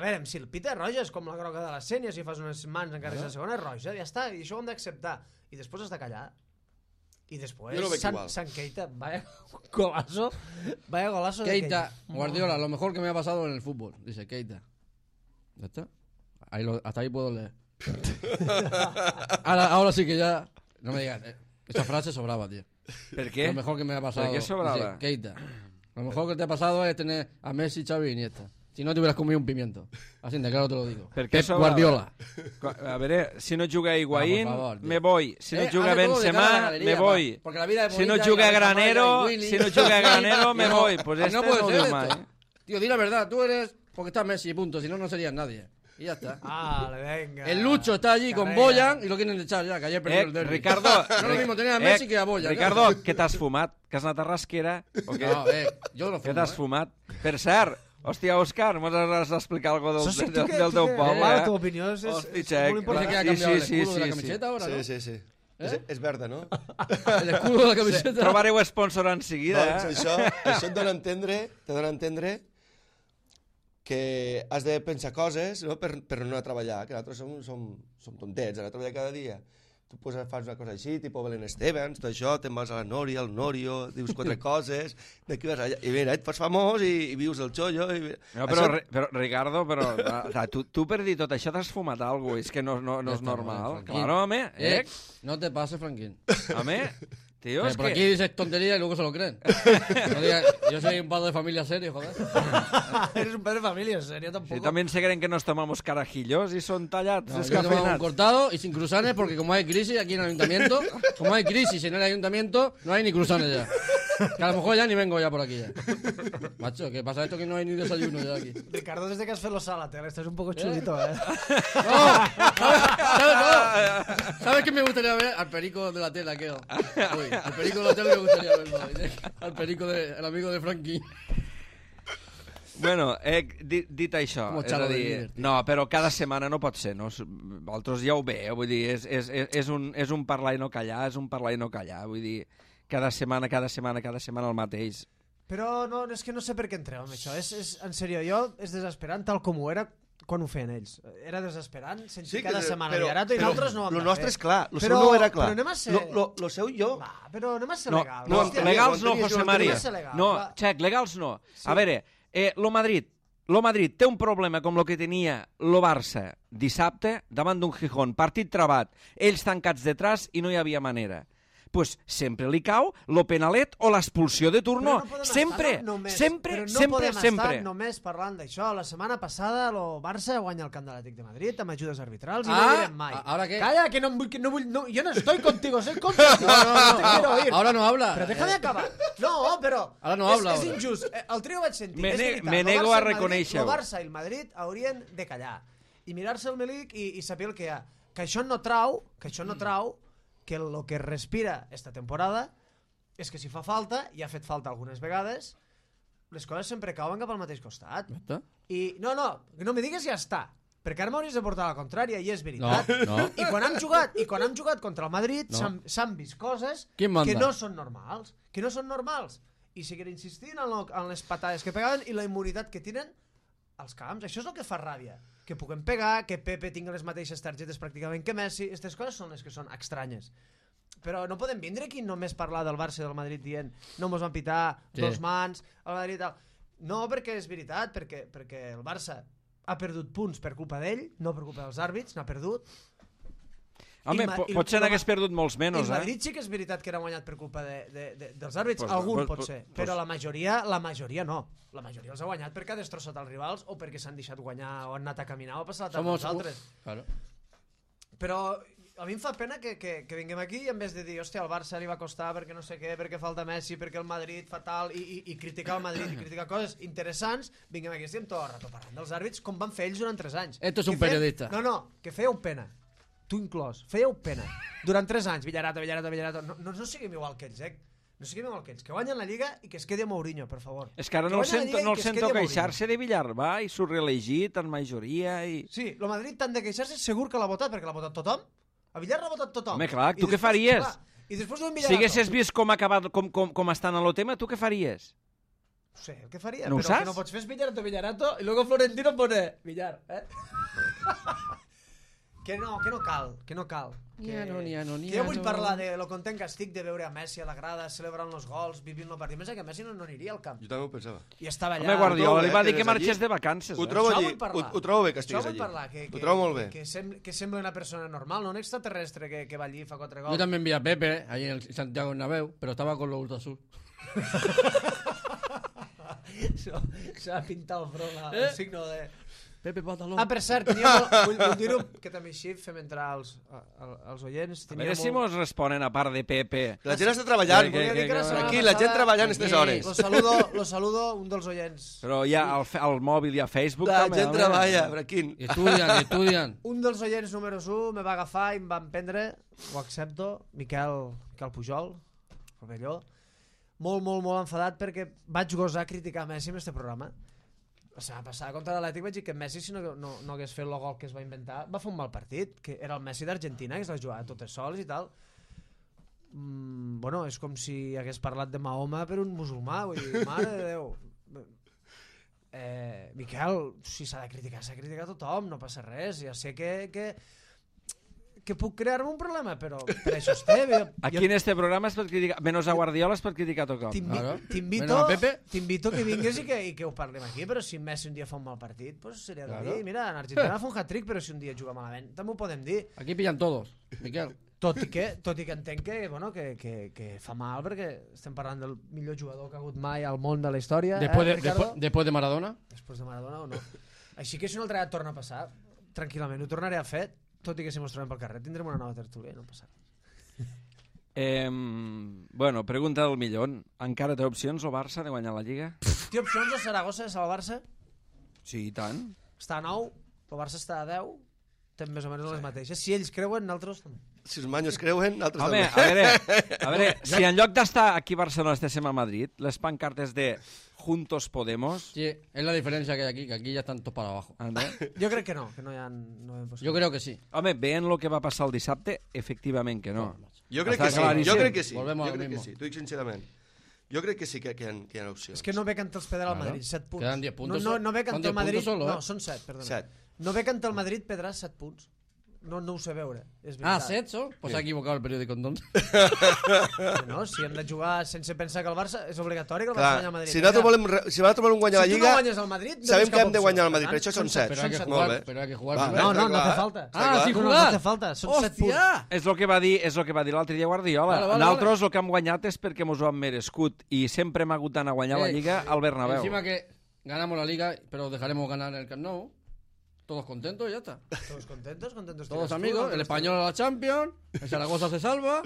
veure, si el pita roja és com la groga de la Sènia, si fas unes mans en carrers de segona és roja, ja està, i això ho hem d'acceptar. I després has de callar. Y después San Keita, vaya golazo de Keita. Guardiola, lo mejor que me ha pasado en el fútbol, dice Keita. ¿Ya está? Hasta ahí puedo leer. Ahora sí que ya... No me digas, esta frase sobraba, tío. ¿Por qué? Lo mejor que me ha pasado. ¿Por qué sobraba? Dice, Keita. Lo mejor que te ha pasado es tener a Messi, Xavi y Iniesta. Si no te hubieras comido un pimiento. Así de claro te lo digo. Pep Guardiola. A ver, si no juga Higuaín, me voy. Si no juga Benzema, me voy. Si no juga Granero, me voy. Pues no puede ser esto. Tío, di la verdad, tú eres... Porque está Messi, punto. Si no, no serías nadie. Y ya está. Venga. El Lucho está allí con Boyan y lo quieren echar ya, que ayer perdió el derbi. Ricardo... No es lo mismo tener a Messi que a Boyan. Ricardo, què t'has fumat? Que has anat a rasquera? O què? No, jo no fumo, Què t'has fumat? Per cert, hòstia, Òscar, mos has d'explicar alguna cosa del teu poble, Tu opinió és molt important. Que ha canviado el escudo de la camiseta ahora, ¿no? Sí. És verda, no? El escudo de la camiseta. Trobareu sponsor en seguida, Això et dona a entendre que has de pensar coses, no? per no anar a treballar, que nosaltres som tontets, anar a treballar cada dia. Tu fas una cosa així, tipus Belén Estevens, tot això, te'n vas a la Nòria, al Norio, dius 4 coses, d'aquí vas allà, i mira, et fas famós i vius el xollo. No, però Ricardo, tu per dir tot això t'has fumat alguna cosa, és que no és normal. Claro, home, no te pases, Franquín. Home, tío, es por que... aquí dices tontería y luego se lo creen. No digas, yo soy un padre de familia serio, joder. Eres un padre de familia serio, tampoco. Sí, también se creen que nos tomamos carajillos y son tallados, no, descafeinados. Un cortado y sin cruzanes, porque como hay crisis aquí en el ayuntamiento, como hay crisis en el ayuntamiento, no hay ni cruzanes ya. Que a lo mejor ya ni vengo ya por aquí ya. Macho, ¿qué pasa esto que no hay ni desayuno ya aquí? Ricardo, desde que has hecho a la tele, estás un poco chulito, ¿Sabes qué me gustaría ver? Al perico de la tele, aquel. Uy, al perico de la tele me gustaría verlo. Al perico el amigo de Frankie. Bueno, dit això, és a dir, no, però cada setmana no pot ser, no? Vosaltres ja ho veieu, vull dir, és un parlar i no callar, vull dir, cada setmana el mateix. Però no, és que no sé per què entreu amb això, en sèrio, és desesperant tal com ho era quan ho feien ells. Era desesperant sentir cada setmana Villarato i nosaltres no ho vam fer. Lo nostre és clar, lo seu no era clar. Però anem a ser... Lo seu jo... Però anem a ser legal. No, legals no, José María. No, Xec, legals no. A veure, lo Madrid té un problema com el que tenia lo Barça dissabte davant d'un Gijón, partit trabat, ells tancats detrás i no hi havia manera. Pues sempre li cau lo penalet o l'expulsió de turno. Sempre. No podem estar només parlant d'això. La setmana passada el Barça guanya el camp de l'Atlètic de Madrid amb ajudes arbitrals i no direm mai. Calla, que no vull... yo no estoy contigo, soy contra ti. No. Ahora no habla. Pero déjame acabar. No, però ahora no habla. És injust. El trio vaig sentir. Me nego a reconèixer-ho. El Barça i el Madrid haurien de callar i mirar-se el melic i saber el que hi ha. Que això no trau que el que respira esta temporada és que si fa falta, i ha fet falta algunes vegades, les coses sempre cauen cap al mateix costat. I no me digues ja està, perquè ara m'hauries de portar la contrària, i és veritat. No. I quan han jugat contra el Madrid s'han vist coses que no són normals. I seguiré insistint en les patades que pegaven i la immunitat que tenen als camps. Això és el que fa ràbia. Que puguem pegar, que Pepe tingui les mateixes targetes pràcticament que Messi. Aquestes coses són les que són estranyes. Però no podem vindre aquí només parlar del Barça i del Madrid dient no mos van pitar, dos mans, el Madrid tal. No, perquè és veritat, perquè el Barça ha perdut punts per culpa d'ell, no per culpa dels àrbits, n'ha perdut. Home, potser n'hagués perdut molts menys, El Madrid sí que és veritat que era guanyat per culpa dels àrbits, algun pot ser, però la majoria no. La majoria els ha guanyat perquè ha destrossat els rivals o perquè s'han deixat guanyar o han anat a caminar o ha passat a nosaltres. Però a mi em fa pena que vinguem aquí i en vez de dir, hòstia, al Barça li va costar perquè no sé què, perquè falta Messi, perquè el Madrid fa tal, i criticar el Madrid i criticar coses interessants, vinguem aquí, estem tot el rato parlant dels àrbits com van fer ells durant 3 anys. Esto es un periodista. No, que fèieu pena. Tu inclòs, fèieu pena. Durant 3 anys, Villarato. No siguem igual que ells, No siguem igual que ells. Que guanyen la Lliga i que es quedi Mourinho, per favor. És que ara no el sento queixar-se de Villarba i s'ho reelegit en majoria i... Sí, el Madrid tant de queixar-se segur que l'ha votat, perquè l'ha votat tothom. A Villar l'ha votat tothom. Home, clar, tu què faries? I després d'un Villarato... Si haguessis vist com estan en el tema, tu què faries? No sé, el que faria, no però saps? que no pots fer Villarato, i luego Florentino pone Villar, Que no cal. Que jo vull parlar de lo content que estic de veure a Messi a la grada, celebrant els gols, vivint el partit. Pensa que Messi no aniria al camp. Jo també ho pensava. I estava allà. Home, Guardiola li va dir que marxés de vacances. Ho trobo bé que estiguis allí. Ho trobo molt bé. Que sembla una persona normal, no un extraterrestre que va allí i fa 4 gols. Yo también vi a Pepe allí en el Santiago Bernabéu, pero estaba con los Ultra Azul. Se va pintar el front el signo de... Pepe Pataló. Per cert, vull dir-ho, que també així fem entrar els oients. A veure si mos responen a part de Pepe. La gent està treballant. Aquí, la gent treballant aquestes hores. Lo saludo, un dels oients. Però hi ha al mòbil i a Facebook la també. La gent treballa, Braquín. Estudian. Un dels oients números 1 me va agafar i em va emprendre, ho accepto, Miquel Pujol, Rovelló, molt enfadat perquè vaig gosar criticar Messi en este programa. La setmana passada contra l'Atlètic vaig dir que Messi, si no hagués fet el gol que es va inventar, va fer un mal partit, que era el Messi d'Argentina, que es va jugar totes sols i tal. Bueno, és com si hagués parlat de Mahoma per un musulmà, vull dir, mare de Déu. Miquel, si s'ha de criticar tothom, no passa res, ja sé que puc crear-me un problema, però per això estem. Aquí en este programa es pot criticar, menys a Guardiola es pot criticar a tothom. T'invito que vingues i que ho parlem aquí, però si Messi un dia fa un mal partit, pues seria de dir, mira, en Argentina fa un hat-trick, però si un dia juga malament, també ho podem dir. Aquí pillan todos, Miquel. Tot i que entenc que fa mal, perquè estem parlant del millor jugador que ha hagut mai al món de la història. Después de Maradona? Després de Maradona o no. Així que si un altre dia torna a passar, tranquil·lament, ho tornaré a fer, tot i que si mos trobem pel carrer tindrem una nova tertúlia, no passa res. Bueno, pregunta del millón. Encara té opcions el Barça de guanyar la Lliga? Té opcions el Saragossa de salvar el Barça? Sí, i tant. Està a 9, el Barça està a 10, tenen més o menys les mateixes. Si ells creuen, nosaltres també. Si els manyos creuen, nosaltres també. Home, a veure, si en lloc d'estar aquí a Barcelona estéssim a Madrid, les pancartes de Juntos Podemos... Sí, es la diferencia que hay aquí, que aquí ya están todos para abajo. Jo crec que no hi ha... Yo creo que sí. Home, veient el que va passar el dissabte, efectivament que no. Jo crec que sí, Volvemos al mismo. T'ho dic sincerament. Jo crec que sí que hi ha opcions. És que no ve cantar els Pedra al Madrid, 7 punts. Quedan 10 puntos. No ve cantar el Madrid... Solo, No, són 7, perdona. 7. No ve cantar el Madrid, Pedràs, 7 punts. No ho sé veure, és veritat. 7, ¿so? Pues s'ha equivocat el periòdic entonces. No, si hem de jugar sense pensar que el Barça és obligatori que el Barça guanya el Madrid. Si nosaltres volem guanyar la Lliga, si tu no guanyes el Madrid, sabem que hem de guanyar el Madrid, per això són 7. Pero hay que jugar. No hace falta. Sí, no hace falta, són 7 punts. És el que va dir l'altre dia Guardiola. Nosaltres el que hem guanyat és perquè mos ho hem merescut i sempre hem hagut d'anar a guanyar la Lliga al Bernabéu. Encima que ganamos la Liga, pero dejaremos ganar el Camp Nou. Todos contentos y ya está. Todos contentos. Todos amigos. El Español a la Champions. El Zaragoza se salva.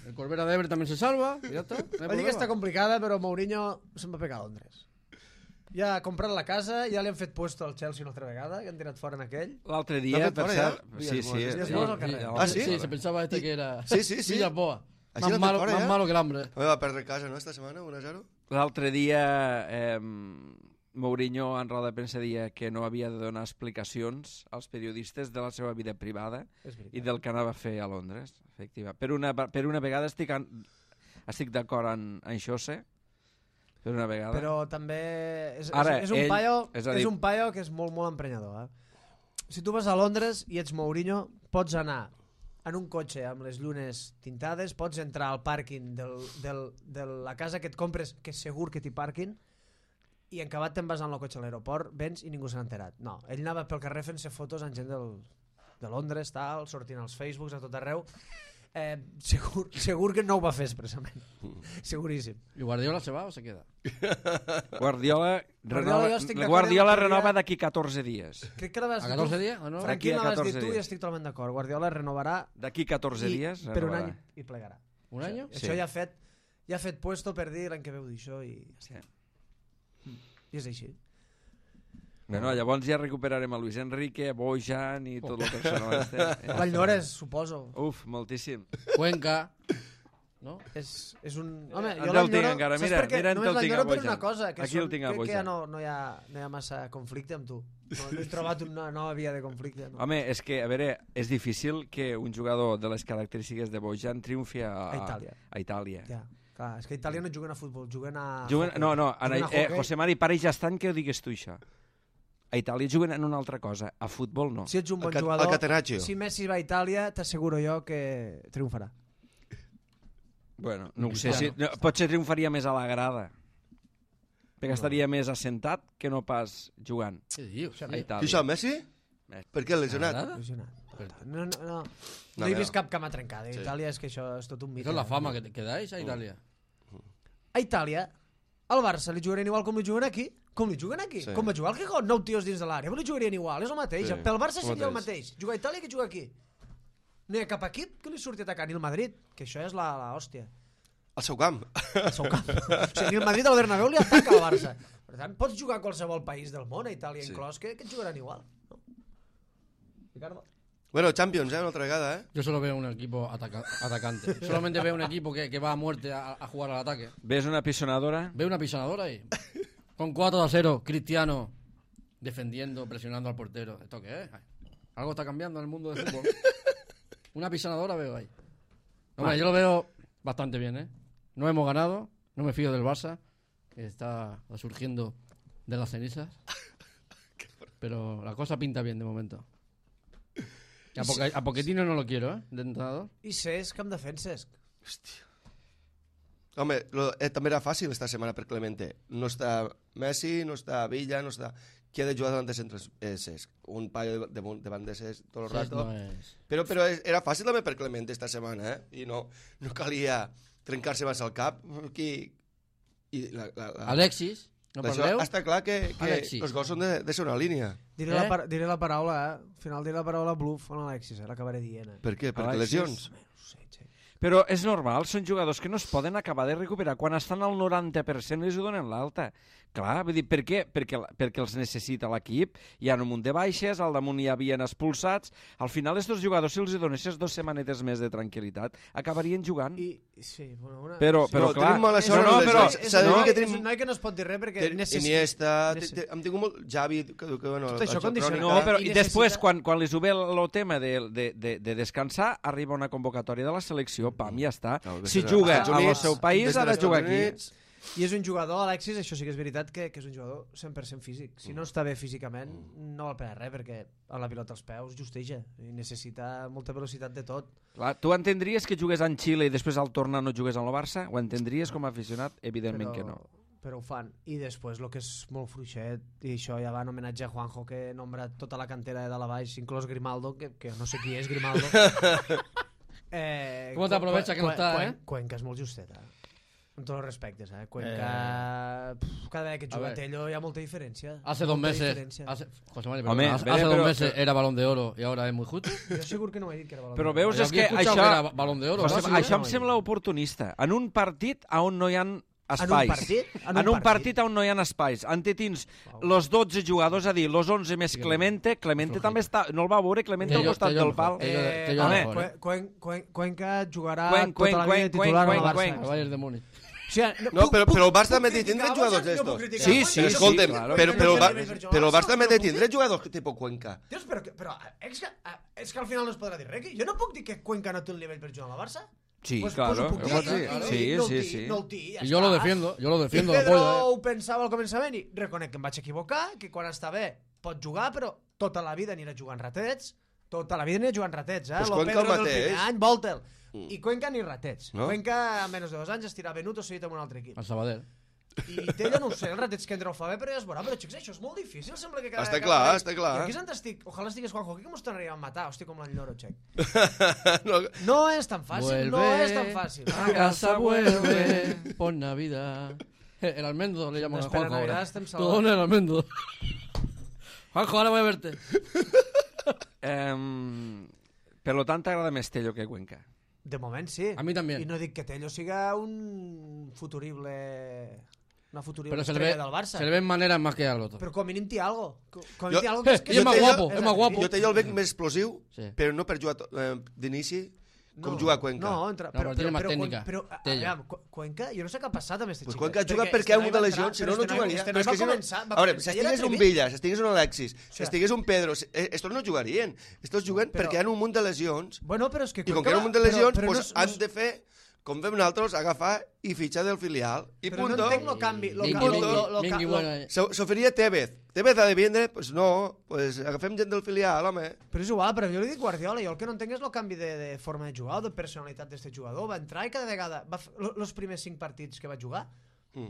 El Corbera de Ebre también se salva. Y ya está. La Lliga està complicada, però Mourinho se'n va pegar a Londres. Ja ha comprat la casa, ja li han fet puesto al Chelsea una altra vegada, que han tirat fora en aquell. L'altre dia, per cert... Sí. Sí, se pensaba que era... Sí. Villasboa. Más malo que el hambre. Va perdre casa, no, esta setmana, 1-0? L'altre dia... Mourinho en roda de premsa deia que no havia de donar explicacions als periodistes de la seva vida privada i del que anava a fer a Londres, efectiva. Per una vegada estic d'acord en Xose, per una vegada. Però també és un paio que és molt emprenyador. Si tu vas a Londres i ets Mourinho, pots anar en un cotxe amb les llunes tintades, pots entrar al pàrquing de la casa que et compres, que segur que t'hi parquin, i en acabat te'n vas amb el cotxe a l'aeroport, vens i ningú s'ha enterat. No, ell anava pel carrer fent-se fotos amb gent de Londres, tal, sortint als Facebooks a tot arreu. Segur que no ho va fer expressament. Seguríssim. ¿Y Guardiola se va o se queda? Guardiola renova d'aquí 14 dies. Crec que ¿A 14 días o no? Franqui, l'has dit tu i estic totalment d'acord. Guardiola renovarà d'aquí 14 dies per un any i plegarà. Un any? Això ja ha fet puesto per dir l'any que ve ho dir això i... Sí. I és així. Bueno, llavors ja recuperarem a Luis Enrique, a Bojan i tot el personal. Valldores, suposo. Uf, moltíssim. Cuenca. ¿No? És un... Home, jo el tinc encara. Mira en el tinc a Bojan. Una cosa, que aquí el tinc a Bojan. Que ja no hi ha massa conflicte amb tu. No he trobat una nova via de conflicte. No. Home, és que, a veure, és difícil que un jugador de les característiques de Bojan triomfi a Itàlia. Ja. Clar, és que a Itàlia no juguen a futbol, juguen a... José Mari, para i ja estan que ho digues tu, això. A Itàlia juguen en una altra cosa, a futbol no. Si ets un bon jugador, si Messi va a Itàlia, t'asseguro jo que triomfarà. Bueno, no ho sé, potser triomfaria més a la grada, perquè estaria més assentat que no pas jugant. Què dius? A Itàlia. Qui això, Messi? Per què, lesionat? No he vist cap cama trencada. A Itàlia és que això és tot un mite. Això és la fama que dais a Itàlia. A Itàlia, al Barça li jugarien igual com li juguen aquí. Com li juguen aquí? Com va jugar el Gijón, 9 tios dins de l'àrea. Li jugarien igual, és el mateix. Pel Barça seria el mateix. Jugar a Itàlia que jugar aquí. No hi ha cap equip que li surti a atacar, ni el Madrid, que això és l'hòstia. Al seu camp. Al seu camp. O sigui, ni el Madrid al Bernabéu li ataca al Barça. Per tant, pots jugar a qualsevol país del món, a Itàlia inclòs, que et jugaran igual. No? Ricardo? Bueno, Champions, una otra vegada, Yo solo veo un equipo atacante. Solamente veo un equipo que va a muerte a jugar al ataque. ¿Ves una pisonadora? Veo una pisonadora ahí. Con 4-0, Cristiano defendiendo, presionando al portero. ¿Esto qué es? Algo está cambiando en el mundo del fútbol. Una pisonadora veo ahí. Hombre, yo lo veo bastante bien, No hemos ganado, no me fío del Barça, que está surgiendo de las cenizas. Pero la cosa pinta bien de momento. A Pochettino no lo quiero, de entrenador. I Cesc, com defenses? Hòstia. Home, també era fàcil esta setmana per Clemente. No està Messi, no està Villa, no està... Qui ha de jugar davant de centres? Cesc. Un paio davant de Cesc tot el rato. No és... Però era fàcil també per Clemente esta setmana, I no calia trencar-se massa al cap. Alexis, no parleu? Està clar que els gols són de ser una línia. Diré la paraula, Al final diré la paraula bluff en Alexis, l'acabaré dient. Per què? Perquè lesions? Però és normal, són jugadors que no es poden acabar de recuperar. Quan estan al 90% els ho donen l'alta. Clar, vull dir, per què? Perquè els necessita l'equip, hi ha un munt de baixes, al damunt hi havien expulsats. Al final, aquests jugadors, si els donessis 2 setmanetes més de tranquil·litat, acabarien jugant. Sí, bueno, però clar... Tenim mala sort, és un noi que no es pot dir res perquè Iniesta, hem tingut molt... Javi... Tot això condiciona. No, però i després, quan li sube el tema de descansar, arriba una convocatòria de la selecció, pam, ja està. Si juga al seu país, ha de jugar aquí. I és un jugador, Alexis, això sí que és veritat, que és un jugador 100% físic. Si no està bé físicament, no val per res, perquè amb la pilota als peus justeja i necessita molta velocitat de tot. Clar, tu entendries que jugués en Xile i després al tornar no jugués en el Barça? Ho entendries com a aficionat? Evidentment que no. Però ho fan. I després el que és molt fluixet, i això ja va en homenatge a Juanjo, que nombra tota la cantera de dalt a baix, inclòs Grimaldo, que no sé qui és Grimaldo. Com t'aprovecha que no està, Cuenca és molt justeta. Amb tots els respectes, Cuenca... Cada vegada que juga Tello hi ha molta diferència. Hace 2 meses... José María, hace 2 meses era Balón de Oro y ahora es muy justo. Jo segur que no he dit que era Balón de Oro. Però veus, és que això em sembla oportunista. En un partit on no hi ha espais. En un partit on no hi ha espais. Ante tens los 12 jugadors, a dir, los 11 més Clemente. Clemente també està... No el va veure, Clemente al costat del pal. Cuenca jugarà tota la vida titular al Barça. El Bayern de Múnich. No, però el Barça també tindrà jugadors d'estos. Sí, escolta'm, però el Barça també tindrà jugadors tipus Cuenca. Dios, però és que al final no es podrà dir res. Jo no puc dir que Cuenca no té un nivell per jugar a la Barça. Sí, claro. Sí. Yo lo defiendo. Pedro ho pensava al començament i reconec que em vaig equivocar, que quan està bé pot jugar, però tota la vida anirà jugant ratets. Tota la vida anirà jugant ratets, Pues lo Cuenca Pedro el del mateix. primer any, Voltel. I Cuenca ni ratets. No? Cuenca a menys de 2 anys estirà Benuto seguit amb un altre equip. Al Sabadell. I Tello no ho sé, els ratets que entra ho fa bé, però ja es veurà. Però xics, això és molt difícil, sembla que Està clar. I aquí s'han estic, ojalà estigués Juanjo aquí, que mos tornaríem a matar, hosti, com l'enlloro, xec. No és tan fàcil, no és tan fàcil. A casa vuelve por Navidad. El almendro le llaman a Juanjo ahora. Todo el almendro. Juanjo, ahora voy a verte. Per lo tant, t'agrada més Tello que Cuenca? De moment sí. A mi també. I no dic que Tello siga una futurible pero estrella del Barça. Se le ven maneras más que al otro. Però com a mínim té algo. És más guapo, és más guapo. Jo Tello el veig més explosiu, però no per jugar d'inici, com juga Cuenca. No, però tiene más técnica. Però, aviam, Cuenca, jo no sé què ha passat amb este pues xic. Cuenca juga perquè ha hagut de lesions, si no, no jugaria. Però és que a veure, si estigués un Villa, si estigués un Alexis, si estigués un Pedro, estos no jugarien. Estos juguen perquè hi ha un munt de lesions. Bueno, però és que I com que hi ha un munt de lesions, pues han de fer com fem nosaltres, agafar i fitxar del filial. I però punto. no entenc el canvi. S'oferia Tevez. Tevez ha de vindre? Pues no, pues agafem gent del filial, home. Però és igual, però jo li dic Guardiola, jo el que no entenc és el canvi de forma de jugar o de personalitat d'aquest jugador. Va entrar i cada vegada, els primers 5 partits que va jugar,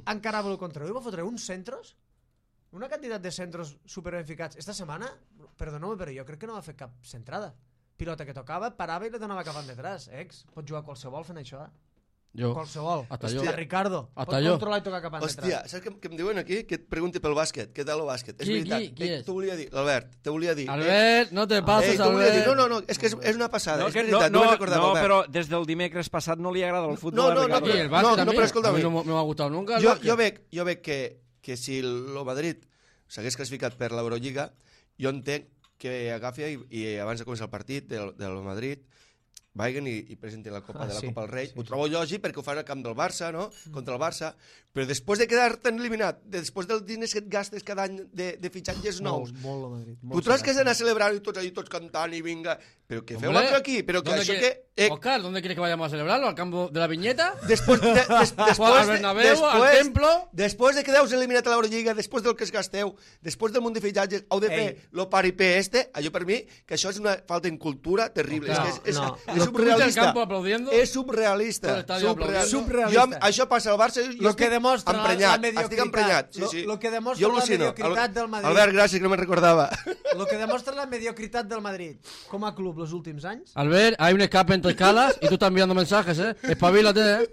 encarava el contra ell, va fotre uns centros, una quantitat de centros superben ficats. Esta setmana, perdoneu, però jo crec que no va fer cap centrada. Pilota que tocava, parava i la donava cap endetrás. Pot jugar qualsevol fent això, Jo. Qualsevol. Hasta Ricardo. Hasta pot jo. controlar i tocar cap endetrás. Hòstia, saps què em diuen aquí? Que et pregunti pel bàsquet. Què tal el bàsquet? És veritat. Qui és? T'ho volia dir, l'Albert, t'ho volia dir. Albert, no te passes, t'ho volia dir. Albert. No, és que és una passada, No, és veritat, no recordava, no, Albert. però des del dimecres passat no li agrada el futbol. No, Aquí, el bàsquet no, però escolta'm. a mi no m'ha gustat nunca. Jo veig que si el Madrid s'hagués classificat per l'Eurolliga, jo entenc que agafi i abans de començar el partit del Madrid vagin i presentin la Copa del Rei. Ho trobo lògic perquè ho fan al camp del Barça, no? Contra el Barça. Però després de quedar-te'n eliminat, després dels diners que et gastes cada any de fitxatges nous, molt el Madrid. tu trobes que has d'anar a celebrar i tots allí, tots cantant i vinga... Però que feu l'altre aquí, però que això que... Oscar, ¿dónde quieres que vayamos a celebrarlo? ¿Al campo de la Viñeta? Después al Bernabéu, al Templo. Després de quedar-vos eliminat a l'Eurolliga, després del que es gasteu, després del munt de fitxatges, heu de fer lo paripé allò per mi, que això és una falta en cultura terrible. És surrealista. És surrealista. Jo, això passa al Barça, jo estic emprenyat. Estic emprenyat. Lo que demostra la mediocritat del Madrid. Albert, gràcies, que no me'n recordava. Lo que demostra la mediocritat del Madrid com a club los últims anys. Albert, hay un escape entre escalas y tú estás enviando mensajes, Espabilate,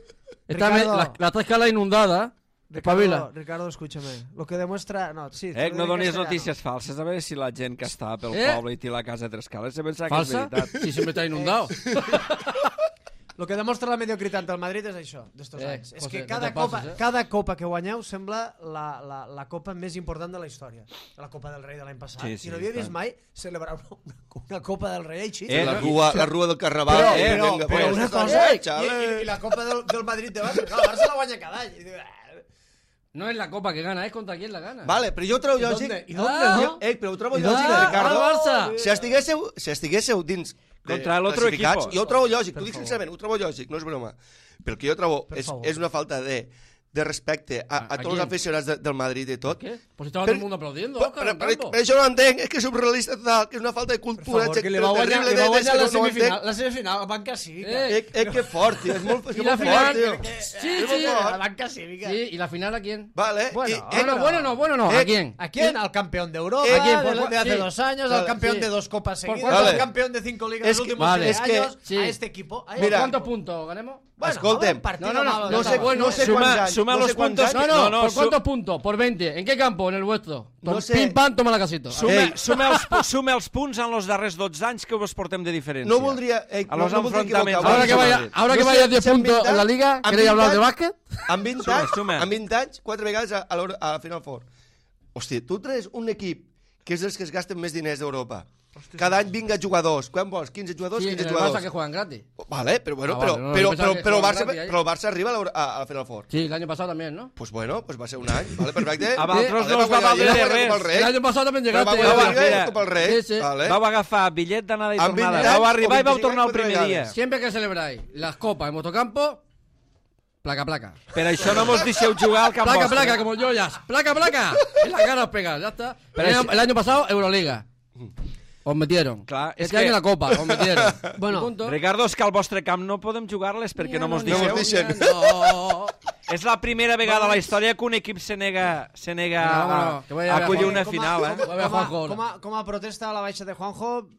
Está la 3 escalas inundada. Ricardo, escúchame. Lo que demuestra... No, sí, no donis notícies falses. A veure si la gent que està pel poble i té la casa de 3 escales se pensa que és veritat. Si siempre está inundado. Lo que demostra la mediocritat del Madrid és això, d'estos anys. És que cada copa que guanyeu sembla la copa més important de la història. La Copa del Rei de l'any passat. I no havia vist mai celebrar una Copa del Rei així. La rua del Carnaval. Però una cosa... I la Copa del Madrid de Barça. El Barça la guanya cada any. No es la copa que gana, es contra quién la gana. Vale, però jo ho trobo lògic. Però ho trobo lògic, Ricardo. Si estiguéssiu dins contra l'altre equip. Jo ho trobo lògic, t'ho dic sincerament, ho trobo lògic, no és broma. Però el que jo trobo és una falta de respecte a tots els aficionats del Madrid i tot. ¿Qué? Pues estaba todo el mundo aplaudiendo. Però això no entenc, és que és surrealista total, que és una falta de cultura. Que li va guanyar la semifinal, la banca cívica. Que fort, tio, és molt fort, tio. Sí, la banca cívica. Sí, ¿y la final a quién? Vale. Bueno, ¿a quién? ¿A quién? Al campeón de Europa, de hace 2 años, al campeón de 2 copas seguidas, al campeón de 5 ligas en los últimos 3 años, a este equipo. ¿Cuántos puntos ganemos? Escolta'm, no sé cuántos años. Suma los puntos. No, ¿por cuántos puntos? Por 20. ¿En qué campo? En el vuestro. No sé. Pim, pam, toma la casita. Sume els punts en els darrers 12 anys que us portem de diferència. No voldria... A los enfrontaments. Ahora que vaya 10 puntos en la Liga, ¿queréis hablar de básquet? En 20 anys, 4 vegades a la Final Four. Hòstia, tu traes un equip que és dels que es gasten més diners d'Europa. Cada any vinga jugadors. Quan vols? 15 jugadors? 15 jugadors. Barça que juegan gratis. Vale, pero bueno, pero el Barça arriba a la Final Four. Sí, el año pasado también, ¿no? Pues bueno, pues va ser un any, vale, perfecte. A vosaltres no us va valer de res. El año pasado también llegaste. Vau agafar bitllet d'anada i tornada. Vau arribar i vau tornar el primer dia. Siempre que celebráis las copas en vuestro campo, placa. Per això no mos deixeu jugar al camp vostre. Placa, como joyas. Placa. En la cara os pegas, ya está. El año pasado, Euroliga. Os metieron. Clar, este año la Copa, os metieron. Bueno, Ricardo, és que al vostre camp no podem jugar-les perquè no mos deixeu. No. És la primera vegada a la història que un equip se nega a acollir una final. Com a protesta a la baixa de Juanjo,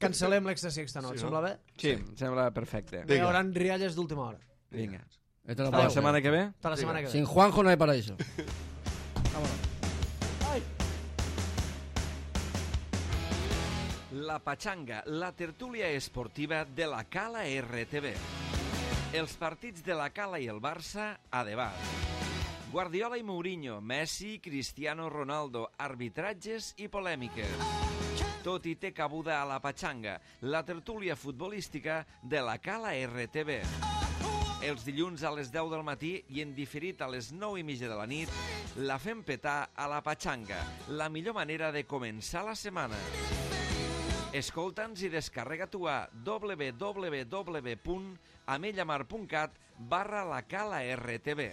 cancel·lem l'extra esta nit, sembla bé? Sí, sembla perfecte. Hi haurà rialles d'última hora. Vinga. Hasta la setmana que ve? Hasta la setmana que ve. Sin Juanjo no hay paraíso. Vámonos. La Pachanga, la tertúlia esportiva de la Cala RTV. Els partits de la Cala i el Barça a debat. Guardiola i Mourinho, Messi, Cristiano Ronaldo, arbitratges i polèmiques. Tot hi té cabuda a la Pachanga, la tertúlia futbolística de la Cala RTV. Els dilluns a les 10 del matí i en diferit a les 9:30 de la nit, la fem petar a la Pachanga, la millor manera de començar la setmana. Escolta'ns i descarrega-t'ho a www.amellamar.cat/la cala RTV.